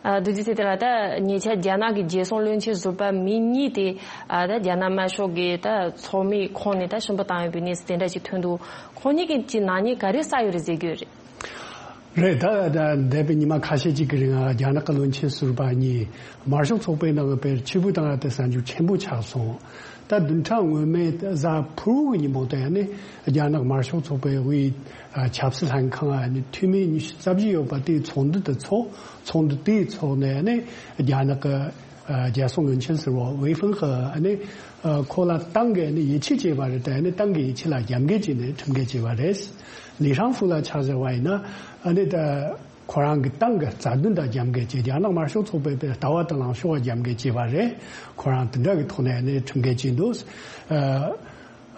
ཨ། རྡོ་རྗེ་ཚེ་བརྟན་ལགས། ད་ཉེ་ཆར་རྒྱ་ནག་གི་རྒྱལ་སྲུང་བློན་ཆེན་ཟུར་པ་མི་གཉིས་དེ། ཨ། ད་རྒྱ་ནག་དམར་ཤོག་གི་ད་ཚོགས་མིའི་ཁོངས་ནས་ད་ཆིབས་འབུལ་བཏང་ཡོད་པའི་གནས་ཚུལ་དེ་འདྲ་ཅིག་ཐོན་འདུག་ཁོང་གཉིས་ཀྱིས་ཀྱི་ནག་ཉེས་ག་རེ་བསགས་ཡོད་རེད་ཟེར་གྱི་ཡོད་རེད། རེད། ད་ད་འདས་པའི་ཉི་མ་ཁ་ཤས་ཅིག་གི་རིང་ང་རྒྱ་ནག་གི་བློན་ཆེན་ཟུར་པ་གཉིས་དམར་ཤོག་ཚོགས་པའི་ནང་དཔེར་ཆིབས་འབུལ་བཏང་ཡ་དེ་གསར་འགྱུར་ཆེན་པོ་ཆགས་སོང་། ད་བདུན་ཕྲག་སྔོན་མའི་གཟའ་ཕུར་བུ་གི་ཉིན་མོ་དེ་ནི་རྒྱ་ནག་དམར་ཤོག་ཚོགས་པའི་དབུས་ཆབ་སྲིད་ལྷན་ཁང་ནི་འཐུས་མི་ཉི་ཤུ་རྩ་བཞི་ཡོད་པ་དེའི་ཚོགས་འདུ་དེ་ཚོགས། ཚོགས་འདུ་དེའི་ཐོག་ནས་ནི་རྒྱ་ནག་གི་རྒྱལ་སྲུང་བློན་ཆེན་ཟུར་པ་ཝེ་ཧྥུང་ཧེ་ནི་ཁོ་ལ་ཏང་གིས་ནི་ཡིད་ཆེས་བྱས་པ་རེད། དེ་ནི་ཏང་གི་ཡིད་ཆེས་ལ་རྒྱབ་འགལ་བྱས་ནས་ཁྲིམས་འགལ་བྱས་པ་རེད། ལི་ཧྲང་ཧྥུ་ལ་ཆ་བཞག་པ་ཡིན་ན་ནི་ད། ཁོ་རང་གི་ཏང་གི་རྩ་དོན་དང་རྒྱབ་འགལ་བྱས། རྒྱ་ནག་དམར་ཤོག་ཚོགས་པའི་ལྟ་བ་དང་ལངས་ཕྱོགས་ལ་རྒྱབ་འགལ་བྱས་པ་རེད། ཁོ་རང་དེ་འདྲ་གི་ཐོག་ནས་ནི་ཁྲིམས་འགལ་བྱས་འདུག་ཨ།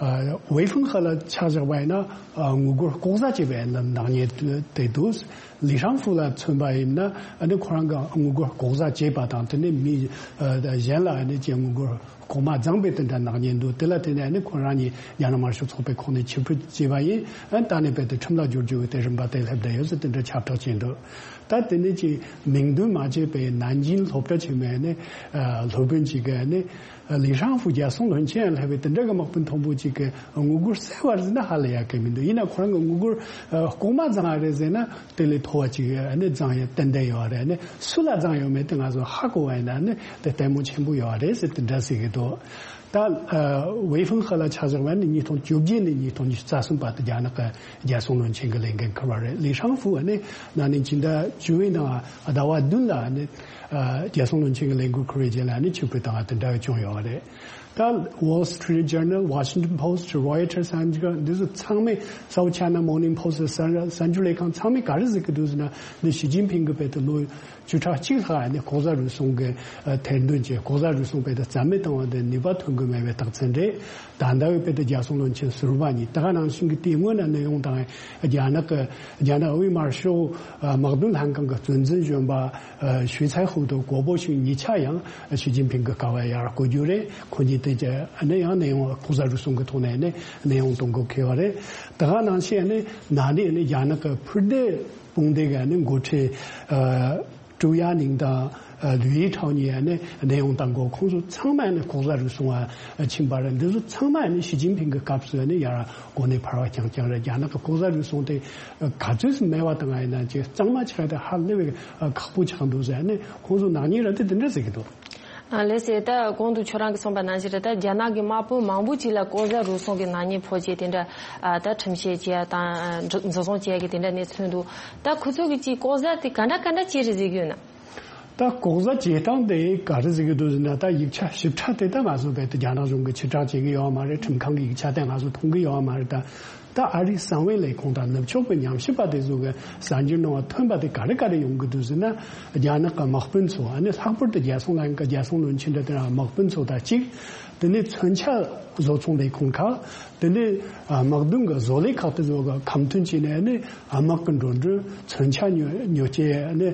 ཨ། ཝེ་ཧྥུང་ཧེ་ལ་ཆ་བཞག་པ་ཡིན་ན། ཨ། ངུ་སྒོར་ལྐོག་ཟ་བྱས་པའི་ནག་ཉེས་དེ་འདུག་ལི་ཧྲང་ཧྥུ་ལ་མཚོན་པ་ཡིན་ན། ཨ་ནི་ཁོ་རང་གི་ངུ་སྒོར་ལྐོག་ཟ་བྱས་པ་དང་། དེ་ནས་མི་གཞན་ལ་ཨ་ནི་ཅིག་ངུ་སྒོར་ལྐོག་མ་བརྫངས་པའི་དེ་འདྲ་ནག་ཉེས་འདུག་དེ་ལ་བརྟེན་ནས་ནི་ཁོ་རང་གཉིས་རྒྱ་ནག་དམར་ཤོག་ཚོགས་པའི་ཁོངས་ནས་ཕྱིར་འབུད་བྱས་པ་ཡིན། ཨ། ད་ནས་རྦད་དེ་ཁྲིམས་ལ་སྦྱོར་རྒྱུ་གི་དེ་རིམ་པ་དེ་སླེབས་བསྡད་ཡོད་ཟེར་དེ་འདྲ་ཁྱབ་བསྒྲགས་བྱས་འདུག་ད་དེ་ནས་ཀྱི་མིང་འདོན་མ་བྱས་པའི་ནན་ཅིང་སློབ་གྲྭ་ཆེན་མོའི་ནི་སློབ་དཔོན་གཅིག་གིས་ནི་ལི་ཧྲང་ཧྥུ་རྒྱལ་སྲུང་བློན་ཆེན་ཡང་སླེབས་པའི་དེ་འདྲ་གི་དམག་དཔོན་མཐོན་པོ་གཅིག་གིས་ངུ་སྒོར་བསད་པ་རེད་ཟེར་ན་ཧ་ལས་ཡག་གི་མི་འདུག་ཡིན་ན་ཁོ་རང་གིས་ངུ་སྒོར་ལྐོག་མ་བརྫངས་པ་རེད་ཟེར་ན། དེ་ལས་མཐོ་བ་ཅིག་ནི་བརྫངས་ཡོད་ཏན་ཏན་ཡོད་རེད། ནི་སུ་ལ་བརྫངས་ཡོད་མེད་དེ་ང་ཚོ་ཧ་གོ་བ་ཡིན་ན་ནི་དེ་ལྟད་མོ་ཆེན་པོ་ཡོད་རེད་ཟེར་དེ་འདྲ་ཟེར་གྱི་འདུག་ད་ཝེ་ཧྥུང་ཧེ་ལ་ཆ་བཞག་པ་ནི་ཉིས་སྟོང་བཅོ་བརྒྱད་ནས་ཉིས་སྟོང་ཉི་ཤུ་རྩ་གསུམ་བར་དུ་རྒྱ་ནག་གི་རྒྱལ་སྲུང་བློན་ཆེན་གྱི་ལས་འགན་འཁུར་བ་རེད། ལི་ཧྲང་ཧྥུ་ནི་ན་ནིང་སྤྱི་ཟླ་བཅུ་པའི་ནང་ཟླ་བ་བདུན་ལ་ནི་རྒྱལ་སྲུང་བློན་ཆེན་གྱི་ལས་འགན་འཁུར་བའི་རྗེས་ལ་ནི་ཕྱིར་འབུད་བཏང་བ་དེ་འདྲ་བྱུང་ཡོད་རེད། ད་Wall Street Journal, Washington Post, Reuters, འདི་ཚོ་ཚང་མས། South China Morning Post གསར་འགྱུར་ལས་ཁང་ཚང་མས་ག་རེ་ཟེར་གྱི་འདུག་ཟེར་ན། འདི་ཞི་ཅིན་ཕིང་གིས་རྦད་དེ་ལོ་བཅུ་ཕྲག་གཅིག་ལྷག་ནས་ལྐོག་ཟ་རུལ་སུངས་ཀྱི་ཐེར་འདོན་བྱས། ལྐོག་ཟ་རུལ་སུངས་རྦད་དེ་རྩ་མེད་བཏང་བ་དེ་ནུས་པ་ཐོན་གྱི་མེད་པའི་རྟགས་མཚན་རེད། ད་ལྟ་བའི་རྦད་དེ་རྒྱལ་སྲུང་བློན་ཆེན་ཟུར་པ་གཉིས། ད་ག་ནང་བཞིན་གྱི་དེའི་སྔོན་ན་གནས་དབྱུང་བཏང་བའི་རྒྱ་ནག་གི་རྒྱ་ནག་དབུས་དམར་ཤོག་དམག་དོན་ལྷན་ཁང་གི་གཙོ་འཛིན་གཞོན་པ་ཞུས་ཚའེ་ཧུའུ་དང་གོ་པོ་ཞུན་གཉིས་ཆ་ཡང་ཞི་ཅིན་ཕིང་གི་ཀ་བ་ཡར་བསྐོ་རྒྱུ་རེད། ཁོ་གཉིས་དེ་ནས་ཡང་གནས་དབྱུང་ལྐོག་ཟ་རུལ་སུངས་ཀྱི་ཐོག་ནས་ནས་གནས་དབྱུང་གཏོང་དགོས་ཁེལ་བ་རེད། ད་ག་ནང་བཞིན་ནི་ན་ནིང་ནི་རྒྱ་ནག་གི་འཕུར་མདེལ་དཔུང་སྡེ་གི་ནི་འགོ་ཁྲིད་ཀྲུའུ་ཡ་ནིང་དང་ལུའུ་ཡི་ཁྲའོ་གཉིས་ནི་གནས་དབྱུང་བཏང་གོ། ཁོང་ཚོ་ཚང་མ་ནི་ལྐོག་ཟ་རུལ་སུངས་པ་ཕྱིན་པ་རེད། འདི་ཚོ་ཚང་མ་ནི་ཞི་ཅིན་ཕིང་གི་སྐབས་སུ་ནི་ཡར་གོ་གནས་འཕར་བ་རྐྱང་རྐྱང་རེད། རྒྱ་ནག་གི་ལྐོག་ཟ་རུལ་སུངས་དེ་ག་ཚོད་ཙམ་མེད་པ་བཏང་བ་ཡིན་ན་ཅིག་གཙང་མ་ཆགས་ཏེ་ཧ་ལས་པའི་ཁག་པོ་ཆགས་འདུག་ཟེར་ནས་ཁོང་ཚོ་ནག་ཉེས་ར་དེ་དེ་འདྲ་ཟེར་གྱི་འདུག་ཨ། ལགས་སེ། ད་གོང་དུ་ཁྱོད་རང་གིས་གསུངས་པ་ནང་བཞིན་རེད། ད་རྒྱ་ནག་གི་དམག་དཔོན་མང་པོ་ཅིག་ལ་ལྐོག་ཟ་རུལ་སུངས་ཀྱི་ནག་ཉེས་ཕོག་རྗེས་དེ་འདྲ། ཨ། ད་ཁྲིམས་བཤེར་བྱས་དང་། ཨ། འཛིན་བཟུང་བྱས་ཀྱི་དེ་འདྲ་གནས་ཚུལ་འདུག་ད་ཁོ་ཚོ་གིས་ཅིག་ལྐོག་ཟ་དེ་ག་འདྲ་ག་འདྲ་བྱས་རེད་ཟེར་གྱི་ཡོད་ན། ད་ལྐོག་ཟ་བྱེད་སྟངས་དེ་ག་རེ་ཟེར་གྱི་འདུག་ཟེར་ན། ད་ཡིག་ཆ་ཞིབ་ཕྲ་དེ་ད་ང་ཚོ་རྦད་དེ་རྒྱ་ནག་གཞུང་གིས་ཕྱིར་བསྒྲགས་བྱེད་ཀྱི་ཡོད་མ་རེད། ཁྲིམས་ཁང་གི་ཡིག་ཆ་དེ་ང་ཚོ་མཐོང་གི་ཡོད་མ་རེད། ད། ད་ཨ་རིའི་གསང་བའི་ལས་ཁུངས་དང་ནུབ་ཕྱོགས་པའི་ཉམས་ཞིབ་པ་དེ་ཚོ་གི་གསར་འགྱུར་ནང་ཐོན་པ་དེ་ག་རེ་ག་རེ་ཡོང་གི་འདུག་ཟེར་ན། རྒྱ་ནག་གི་དམག་དཔོན་ཚོ། ཨ་ནི་ལྷག་པར་དུ་རྒྱལ་སྲུང་ལྷན་ཁང་རྒྱལ་སྲུང་བློན་ཆེན་འདྲ་དེ་རང་དམག་དཔོན་ཚོ་དང་གཅིག་དེ་ནས་མཚོན་ཆ་བཟོ་ཚོང་ལས་ཁུངས་ཁག་དེ་ནས་དམག་དོན་གྱི་བཟོ་ལས་ཁག་དེ་ཚོ་གི་ཁ་མཐུན་བྱས་ནས། ཨ་ནི་དམག་གི་འགྲོ་གྲོན། མཚོན་ཆ་ཉོ་ཉོ་སྤྱད། ཨ་ནི་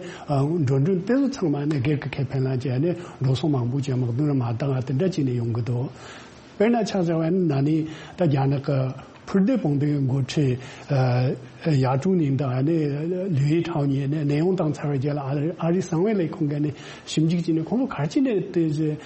འགྲོ་གྲོན་དེ་ཚོ་ཚང་མ་ནི་སྒེར་གྱི་ཁེ་ཕན་ལ་བྱས། ཨ་ནི་འགྲོ་སོང་མང་པོ་བྱས། དམག་དོན་ལ་མ་བཏང་བ་དེ་འདྲ་བྱས་ནས་ཡོང་གི་འདུག་དཔེར་ན་ཆ་བཞག་པ་ཡིན་ན་ནི་ད་རྒྱ་ནག་གི་ཕུར་མདེལ་སྤུངས་ཏེ་འགོ་ཁྲིད་ཡ་ཀྲུའུ་ཉིང་དང་ནི་ལིའུ་ཡི་ཁྲའོ་གཉིས་ནི་གནས་དབྱུང་བཏང་ཚར་བའི་རྗེས་ལ་ཨ་རི་ཨ་རིའི་གསང་བའི་ལས་ཁུངས་ཀྱིས་ནི་ཞིབ་འཇུག་བྱས་ནས་ཁོང་ཚོ་ག་རེ་བྱས་ནས་དེ་གནས་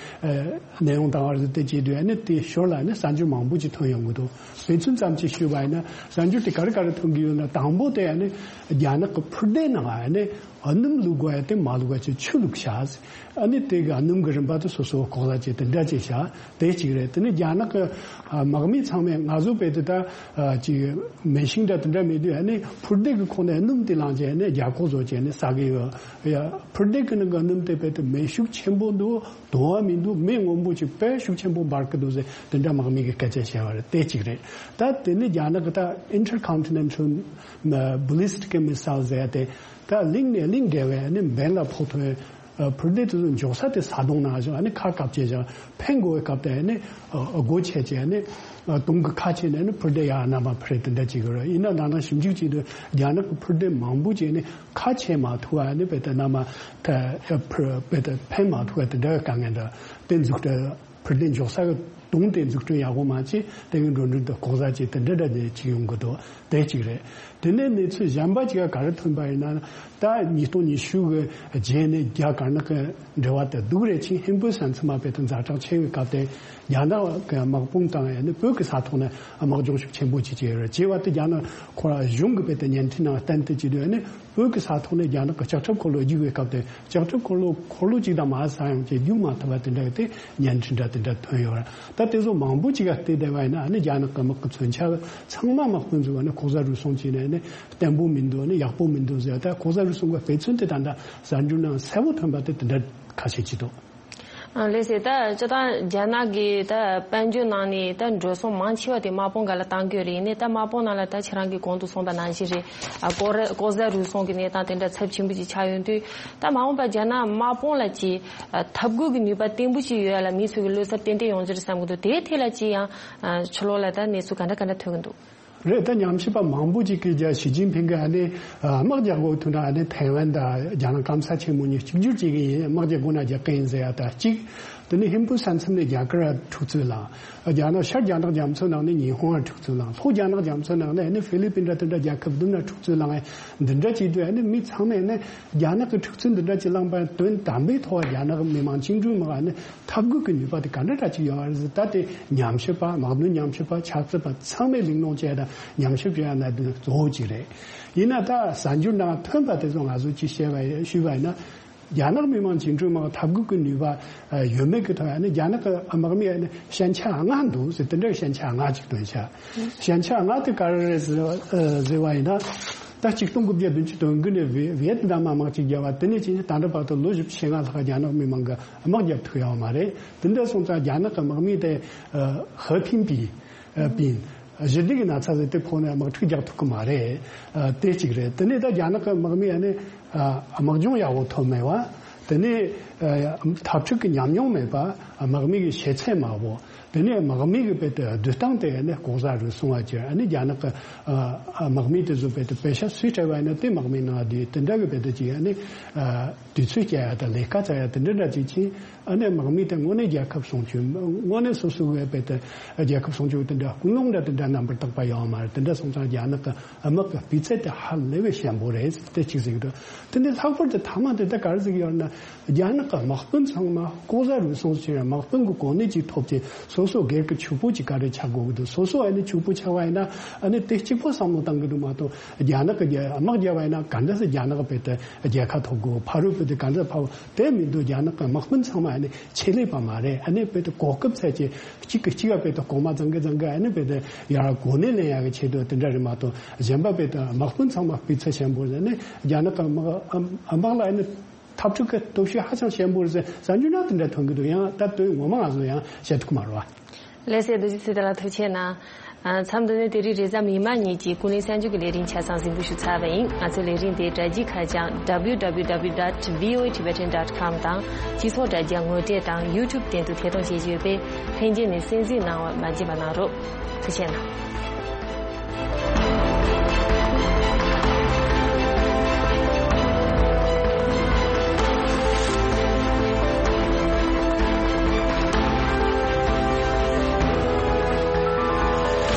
དབྱུང་བཏང་བ་རེད་དེ་བྱས་དུས་ནི་དེ་ཞོར་ལ་ནི་གསར་འགྱུར་མང་པོ་ཅིག་ཐོན་ཡོང་གི་འདུག་དཔེ་མཚོན་ཙམ་ཅིག་ཞུས་པ་ཡིན་ན་གསར་འགྱུར་དེ་ག་རེ་ག་རེ་ཐོན་གྱི་ཡོད་ན། དང་པོ་དེ་ནི་རྒྱ་ནག་གི་ཕུར་མདེལ་ནང་ནི་སྣུམ་བླུགས་དགོས་ཡ་དེ་མ་བླུགས་པ་བྱས་ཆུ་བླུགས་བཞག་ཨ་ནི་དེ་གི་སྣུམ་གི་རིན་པ་དེ་སོ་སོ་ལྐོག་ཟ་བྱས་དེ་འདྲ་བྱས་བཞག་དེ་གཅིག་རེད། དེ་ནི་རྒྱ་ནག་གི་ཨ་དམག་མི་ཚང་མས་ང་ཚོ་བལ་དུ་ད་ཨ་ཅིག་མེ་ཤིང་འདྲ་དེ་འདྲ་མེད་དུས་ཨ་ནི་ཕུར་མདེལ་གི་ཁོངས་ནས་སྣུམ་དེ་བླངས་བྱས་ནས་རྒྱ་ཁོག་བཟོ་བྱས་ནས་ཟ་གི་ཡོད། ཡ་ཕུར་མདེལ་གི་ནང་གི་སྣུམ་དེ་བལ་དུ་མེ་ཤུགས་ཆེན་པོ་འདུག་དུང་བ་མི་འདུག་མེ་སྔོན་པོ་ཅིག་དཔེ་ཤུགས་ཆེན་པོ་འབར་གི་འདུག་ཟེར་དེ་འདྲ་དམག་མི་གི་སྐད་ཆ་བཤད་པ་རེད། དེ་གཅིག་རེད། ད་དེ་ནི་རྒྱ་ནག་གི་ད་Intercontinental Ballistic Missile ཟེར་ཡ་དེ། ད་གླིང་ནས་གླིང་བརྒལ་བའི་ནི་འབེན་ལ་ཕོག་ཐུབ། ཨ་ཕུར་མདེལ་དེ་ཚོ་འཇོག་ས་དེ་ས་དོང་ནང་བཞིན་ཨ་ནི་ཁ་བཀབ་བྱས་བཞག་འཕེན་དགོས་པའི་སྐབས་དེ་ནི་ཨ་སྒོ་ཕྱེ་བྱས་ནི་ཨ་དུང་གི་ཁ་ཕྱེ་ནས་ནི་ཕུར་མདེལ་ཡར་གནམ་མ་འཕུར་དེ་འདྲ་བྱེད་ཀྱི་རེད། ཡིན་ན་ད་ནང་ཞིབ་འཇུག་བྱེད་དུས་རྒྱ་ནག་གི་ཕུར་མདེལ་མང་པོ་བྱས་ནི་ཁ་ཕྱེ་མ་ཐུབ་པ་ནི་བལ་དུ་གནམ་མ་ཐ་ཕུར་བལ་དུ་འཕེན་མ་ཐུབ་པ་དེ་འདྲ་བའི་དཀའ་ངལ་འདྲ་དེ་འཛུགས་སྐྲུན། ཕུར་མདེལ་འཇོག་ས་གི་དུང་དེ་འཛུགས་སྐྲུན་ཡག་པོ་མ་བྱས་དེ་གི་འགྲོ་གྲོན་དུ་ལྐོག་ཟ་བྱས་དེ་འདྲ་འདྲ་དེ་ཅིག་ཡོང་གི་འདུག་དེ་གཅིག་རེད། དེ་ནས་གནས་ཚུལ་གཞན་པ་ཅིག་ག་རེ་ཐོན་པ་ཡིན་ན། ད་ཉིས་སྟོང་ཉི་ཤུ་གི་རྗེས་ནས་རྒྱ་དཀར་ནག་གི་འབྲེལ་བ་དེ་སྡུག་རེ་ཕྱིན། ཧིན་བོད་ས་མཚམས་མ་བལ་དུ་ཛ་དྲག་ཆེ་བའི་སྐབས་དེ་རྒྱ་ནག་གི་དམག་དཔུང་དང་ཡང་ནི་བོད་ཀྱི་ས་ཐོག་ནས་དམག་སྦྱོང་ཤུགས་ཆེན་པོ་ཅིག་བྱས་ཡོད་རེད། བྱས་པ་དེ་རྒྱ་ནག་ཁོ་རང་གཞུང་གི་བལ་དུ་བརྙན་འཕྲིན་ནང་བསྟན་དེ་བྱེད་དུས་ནི། བོད་ཀྱི་ས་ཐོག་ནས་རྒྱ་ནག་གི་ལྕགས་ཁྲབ་འཁོར་ལོ་རྒྱུག་པའི་སྐབས་དེ་ལྕགས་ཁྲབ་འཁོར་ལོ་འཁོར་ལོ་གཅིག་དང་མ་ཟ་ཡང་ཅིག་རྒྱུག་མ་ཐུབ་པ་དེ་འདྲ་གི་དེ་བརྙན་འཕྲིན་འདྲ་དེ་འདྲ་ཐོན་ཡོད་རེད། ད་དེ་ཚོ་མང་པོ་ཅིག་ག་བལྟས་བསྡད་པ་ཡིན་ན་ཨ་ནི་རྒྱ་ནག་གི་དམག་གི་མཚོན་ཆ་ཚང་མ་དམག་དཔོན་ཚོས་ཨ་ནི་ལྐོག་ཟ་རུལ་སུངས་བྱས་ནས་ཨ་ནི་བརྟན་པོ་མི་འདུག་ཨ་ནི་ཡག་པོ་མི་འདུག་ཟེར། ད་ལྐོག་ཟ་རུལ་སུངས་གི་དཔེ་མཚོན་དེ་ད་ལྟ་གསར་འགྱུར་ནང་གསལ་པོ་ཐོན་པ་དེ་དེ་འདྲ་ཁ་ཤས་ཅིག་འདུག་ཨ་ལགས་སེ། ད་སྤྱིར་བཏང་རྒྱ་ནག་གི་ད་དཔལ་འབྱོར་ནང་ནས་ད་འགྲོ་སོང་མང་ཆེ་བ་དེ་དམག་དཔུང་སྒང་ལ་བཏང་གི་ཡོད་རེད། ཡིན་ནའི་ད་དམག་དཔུང་ནང་ལ་ད་ཁྱེད་རང་གིས་གོང་དུ་གསུངས་པ་ནང་བཞིན་རེད། ཨ་ལྐོག་ར་ལྐོག་ཟ་རུལ་སུངས་ཀྱི་གནས་སྟངས་དེ་འདྲ་ཚབས་ཆེན་པོ་ཅིག་ཆགས་ཡོང་དུས། ད་མ་འོངས་པ་རྒྱ་ནག་དམག་དཔུང་ལ་ཅིག་ཨ་འཐབ་རྒོལ་གྱི་ནུས་པ་བརྟན་པོ་ཅིག་ཡོད་ཡ་ལ་མི་ཚོ་གི་བློ་འཚབ་ཏན་ཏན་ཡོང་རྒྱུ་རེད་བསམ་གྱི་འདུག་དེའི་ཐད་ལ་ཅིག་ཡང་ཨ་ཕྱི་ལོགས་ལ་ད་གནས་ཚུལ་ག་འདྲ་ག་འདྲ་ཐོན་གྱི་འདུག་རེད། ད་ཉམས་ཞིབ་པ་མང་པོ་ཅིག་གིས་རྒྱ་ཞི་ཅིན་ཕིང་གིས་ཨ་ནི་ཨ་དམག་རྒྱག་དགོས་དུས་ན་ཨ་ནི་ཐའེ་ཝན་དང་རྒྱ་ནག་སྐམ་ས་ཆེན་མོ་གཉིས་གཅིག་གྱུར་བྱེད་ཀྱི་ཡིན། དམག་རྒྱག་དགོས་ན་རྒྱག་གི་ཡིན་ཟེར་ཡ་ད་གཅིག་དེ་ནི་ཧིན་བོད་ས་མཚམས་ནས་རྒྱ་གར་འཁྲུག་རྩོད་ལངས། རྒྱ་ནག་ཤར་རྒྱ་ནག་རྒྱ་མཚོ་ནང་ནས་ཉི་ཧོང་ལ་འཁྲུག་རྩོད་ལངས། ལྷོ་རྒྱ་ནག་རྒྱ་མཚོ་ནང་ནས་ཨ་ནི་ཧྥི་ལི་པིན་འདྲ་དེ་འདྲ་རྒྱལ་ཁབ་བདུན་ལ་འཁྲུག་རྩོད་ལངས། འདི་འདྲ་བྱེད་དུས་ཨ་ནི་མི་ཚང་མས་ཨ་ནི་རྒྱ་ནག་གི་འཁྲུག་རྩོད་འདི་འདྲ་ཅིག་ལངས་པ་དོན་དམ་པའི་ཐོག་རྒྱ་ནག་མི་དམངས་བཅིངས་འགྲོལ་དམག་ཨ་ནི་འཐབ་རྒོལ་གྱི་ནུས་པ་དེ་ག་འདྲ་འདྲ་ཅིག་ཡོད་རེད་ཟེར། ད་དེ་ཉམས་ཞིབ་པ་དམག་དོན་ཉམས་ཞིབ་པ་ཆབ་སྲིད་པ་ཚང་མས་གླེང་སློང་བྱས་དང་ཉམས་ཞིབ་བྱེད་ཡ་གནད་དོན་གཙོ་བོ་གཅིག་རེད། ཡིན་ན་ད་གསར་འགྱུར་ནང་ཐོན་པ་དེ་ཚོ་ང་ཚོས་ཅིག་བཤད་པ་ཡིན་ཞུས་པ་ཡིན་ན། རྒྱ་ནག་མི་དམངས་བཅིངས་འགྲོལ་དམག་འཐབ་རྒོལ་གྱི་ནུས་པ་ཡོད་མེད་ཀྱི་ཐོག་ཡང་ནི་རྒྱ་ནག་གི་དམག་མི་ཡང་ནི་ཞན་ཆ་ལྔ་འདུག་ཟེར། དེ་འདྲའི་ཞན་ཆ་ལྔ་ཅིག་བཏོན་ཤག་ཞན་ཆ་ལྔ་དེ་ག་རེ་རེད་ཟེར་ཟེར་བ་ཡིན་ན། ད་ཆིག་སྟོང་དགུ་བརྒྱ་བདུན་ཅུ་དོན་དགུ་ནས་ཝི་ཝི་ཡེད་ནམ་དམག་ཅིག་བརྒྱབ་པ་དེ་ནས་ཕྱིན་ད་ལྟ་བར་དུ་ལོ་བཞི་བཅུ་ཞེ་ལྔ་ལྷག་རྒྱ་ནག་མི་དམངས་ཀྱིས་དམག་རྒྱབ་ཐུབ་ཡོད་མ་རེད། དེ་འདྲ་སོང་ཙང་རྒྱ་ནག་གི་དམག་མི་དེ་ཧེ་ཕིན་པི་པིན་ཞི་བདེ་གི་ན་ཚ་ཟེར་དེ་ཕོག་ནས་དམག་འཁྲུག་རྒྱག་ཐུབ་ཀྱི་མ་རེད། དེ་གཅིག་རེད། དེ་ནས་ད་རྒྱ་ནག་གི་དམག་མི་ཡང་ནི་དམག་སྦྱོང་ཡག་པོ་ཐོབ་མེད་པ། དེ་ནས་འཐབ་འཁྲུག་གི་ཉམས་མྱོང་མེད་པ། དམག་མི་གི་ཤེས་ཚད་དམའ་པོ། དེ་ནས་དམག་མི་གི་བེད་དེ་སྡོད་སྟངས་དེ་ནི་ལྐོག་ཟ་རུལ་སུངས་པ་ཅིག་ཨ་ནི་རྒྱ་ནག་གི་ཨ་དམག་མི་དེ་ཚོ་བེད་དེ་པེ་ཤ་སུས་སྤྲད་པ་ཡིན་ན་དེ་དམག་མི་ནང་བསྡུས་དེ་འདྲ་གི་བེད་དེ་ཅིག་ཨ་ནི་ཨ་དུས་ཚོད་སྐྱེལ་ཡ་དང་ལས་ཀ་བཙལ་ཡ་དེ་འདྲ་འདྲ་ཅིག་ཕྱིན། ཨ་ནི་དམག་མི་དེ་དངོས་གནས་རྒྱལ་ཁབ་སྲུང་སྐྱོབ་དངོས་གནས་སོ་སོ་བས་བེད་དེ་རྒྱལ་ཁབ་སྲུང་སྐྱོབ་དེ་འདྲ་ཀུན་སློང་འདྲ་དེ་འདྲ་རྣམ་པར་དག་པ་ཡོད་མ་རེད། དེ་འདྲ་སོང་ཙང་རྒྱ་ནག་གི་དམག་གི་སྤུས་ཚད་དེ་ཧ་ལས་པའི་ཞན་པོ་རེད། དེ་གཅིག་ཟེར་གི་འདུག་དེ་ནས་ལྷག་པར་དུ་མཐའ་མ་དེ་ད་ག་རེ་ཟེར་གི་ཡོད་ན། རྒྱ་ནག་གི་དམག་དཔོན་ཚང་མ་ལྐོག་ཟ་རུལ་སུངས་བྱས་དམག་དཔོན་གྱི་གོ་གནས་ཅིག་ཐོབ་ཅིང་སོ་སོ་སྒེར་གྱི་ཕྱུག་པོ་ཅིག་ག་རེ་ཆགས་དགོས་ཀྱི་འདུག་སོ་སོ་ཨ་ནི་ཕྱུག་པོ་ཆགས་པ་ཡིན་ན་ཨ་ནི་དེ་གཅིག་པོ་བསམ་བློ་བཏང་གི་འདུག་མ་གཏོགས་རྒྱ་ནག་གི་རྒྱ་དམག་རྒྱབ་པ་ཡིན་ན་ག་འདྲ་སེ་རྒྱ་ནག་བེད་དེ་རྒྱལ་ཁ་ཐོབ་དགོས། ཕ་རོལ་བོད་དེ་ག་འདྲ་ཕ་བོ་དེ་མི་འདུག་རྒྱ་ནག་གི་དམག་དཔོན་ཚང་མ་ཨ་ནི་ཆེད་ལས་པ་མ་རེད། ཨ་ནི་བེད་དེ་གོ་སྐབས་ཚད་ཀྱི་གཅིག་གིས་གཅིག་ག་བེད་དེ་གོང་མ་བཟང་གི་བཟང་གི་ཨ་ནི་བེད་དེ་ཡར་གོ་གནས་ལེན་ཡག་གི་ཆེད་དུ་དེ་འདྲ་རེད་མ་གཏོགས་གཞན་པ་བེད་དེ་དམག་དཔོན་ཚང་མ་སྤུས་ཚད་ཆེན་པོ་རེད། ཨ་ནི་རྒྱ་ནག་གི་དམག་དམག་ལ་ཨ་ནི། འཐབ་འཁྲུག་གི་སྟོབས་ཤུགས་ཧ་ཅང་ཞན་པོ་རེད་ཟེར་གསར་འགྱུར་ནང་དེ་འདྲ་ཐོན་གི་འདུག་ཡང་ད་དོན་ངོ་མ་ང་ཚོ་ཡང་བཤད་ཐུབ་ཀྱི་མ་རེད་བ། ལགས་སེ། རྡོ་རྗེ་ཚེ་བརྟན་ལགས་ཐུགས་རྗེ་ཆེ་གནང་། ཨ་མཚམས་འདི་ནས་དེ་རིང་རེས་གཟའ་མིག་དམར་ཉིན་གྱི་ཀུན་གླེང་གསར་འགྱུར་གྱི་ལས་རིམ་ཆ་ཚང་གཟིགས་འབུལ་ཞུ་ཚར་བ་ཡིན། ང་ཚོའི་ལས་རིམ་དེ་སྒྲ་བརྒྱུད་ཁ་བྱང་W W W dot V O A Tibetan dot com དང་སྤྱི་ཚོགས་དྲ་རྒྱ་ངོ་དེབ་དང་YouTube སྟེང་དུ་ཐད་གཏོང་བྱེད་ཀྱི་ཡོད་པས་ལྷན་རྒྱས་ནས་གསན་གཟིགས་གནང་བ་མ་བརྗེད་པ་གནང་རོགས། ཐུགས་རྗེ་ཆེ་གནང་།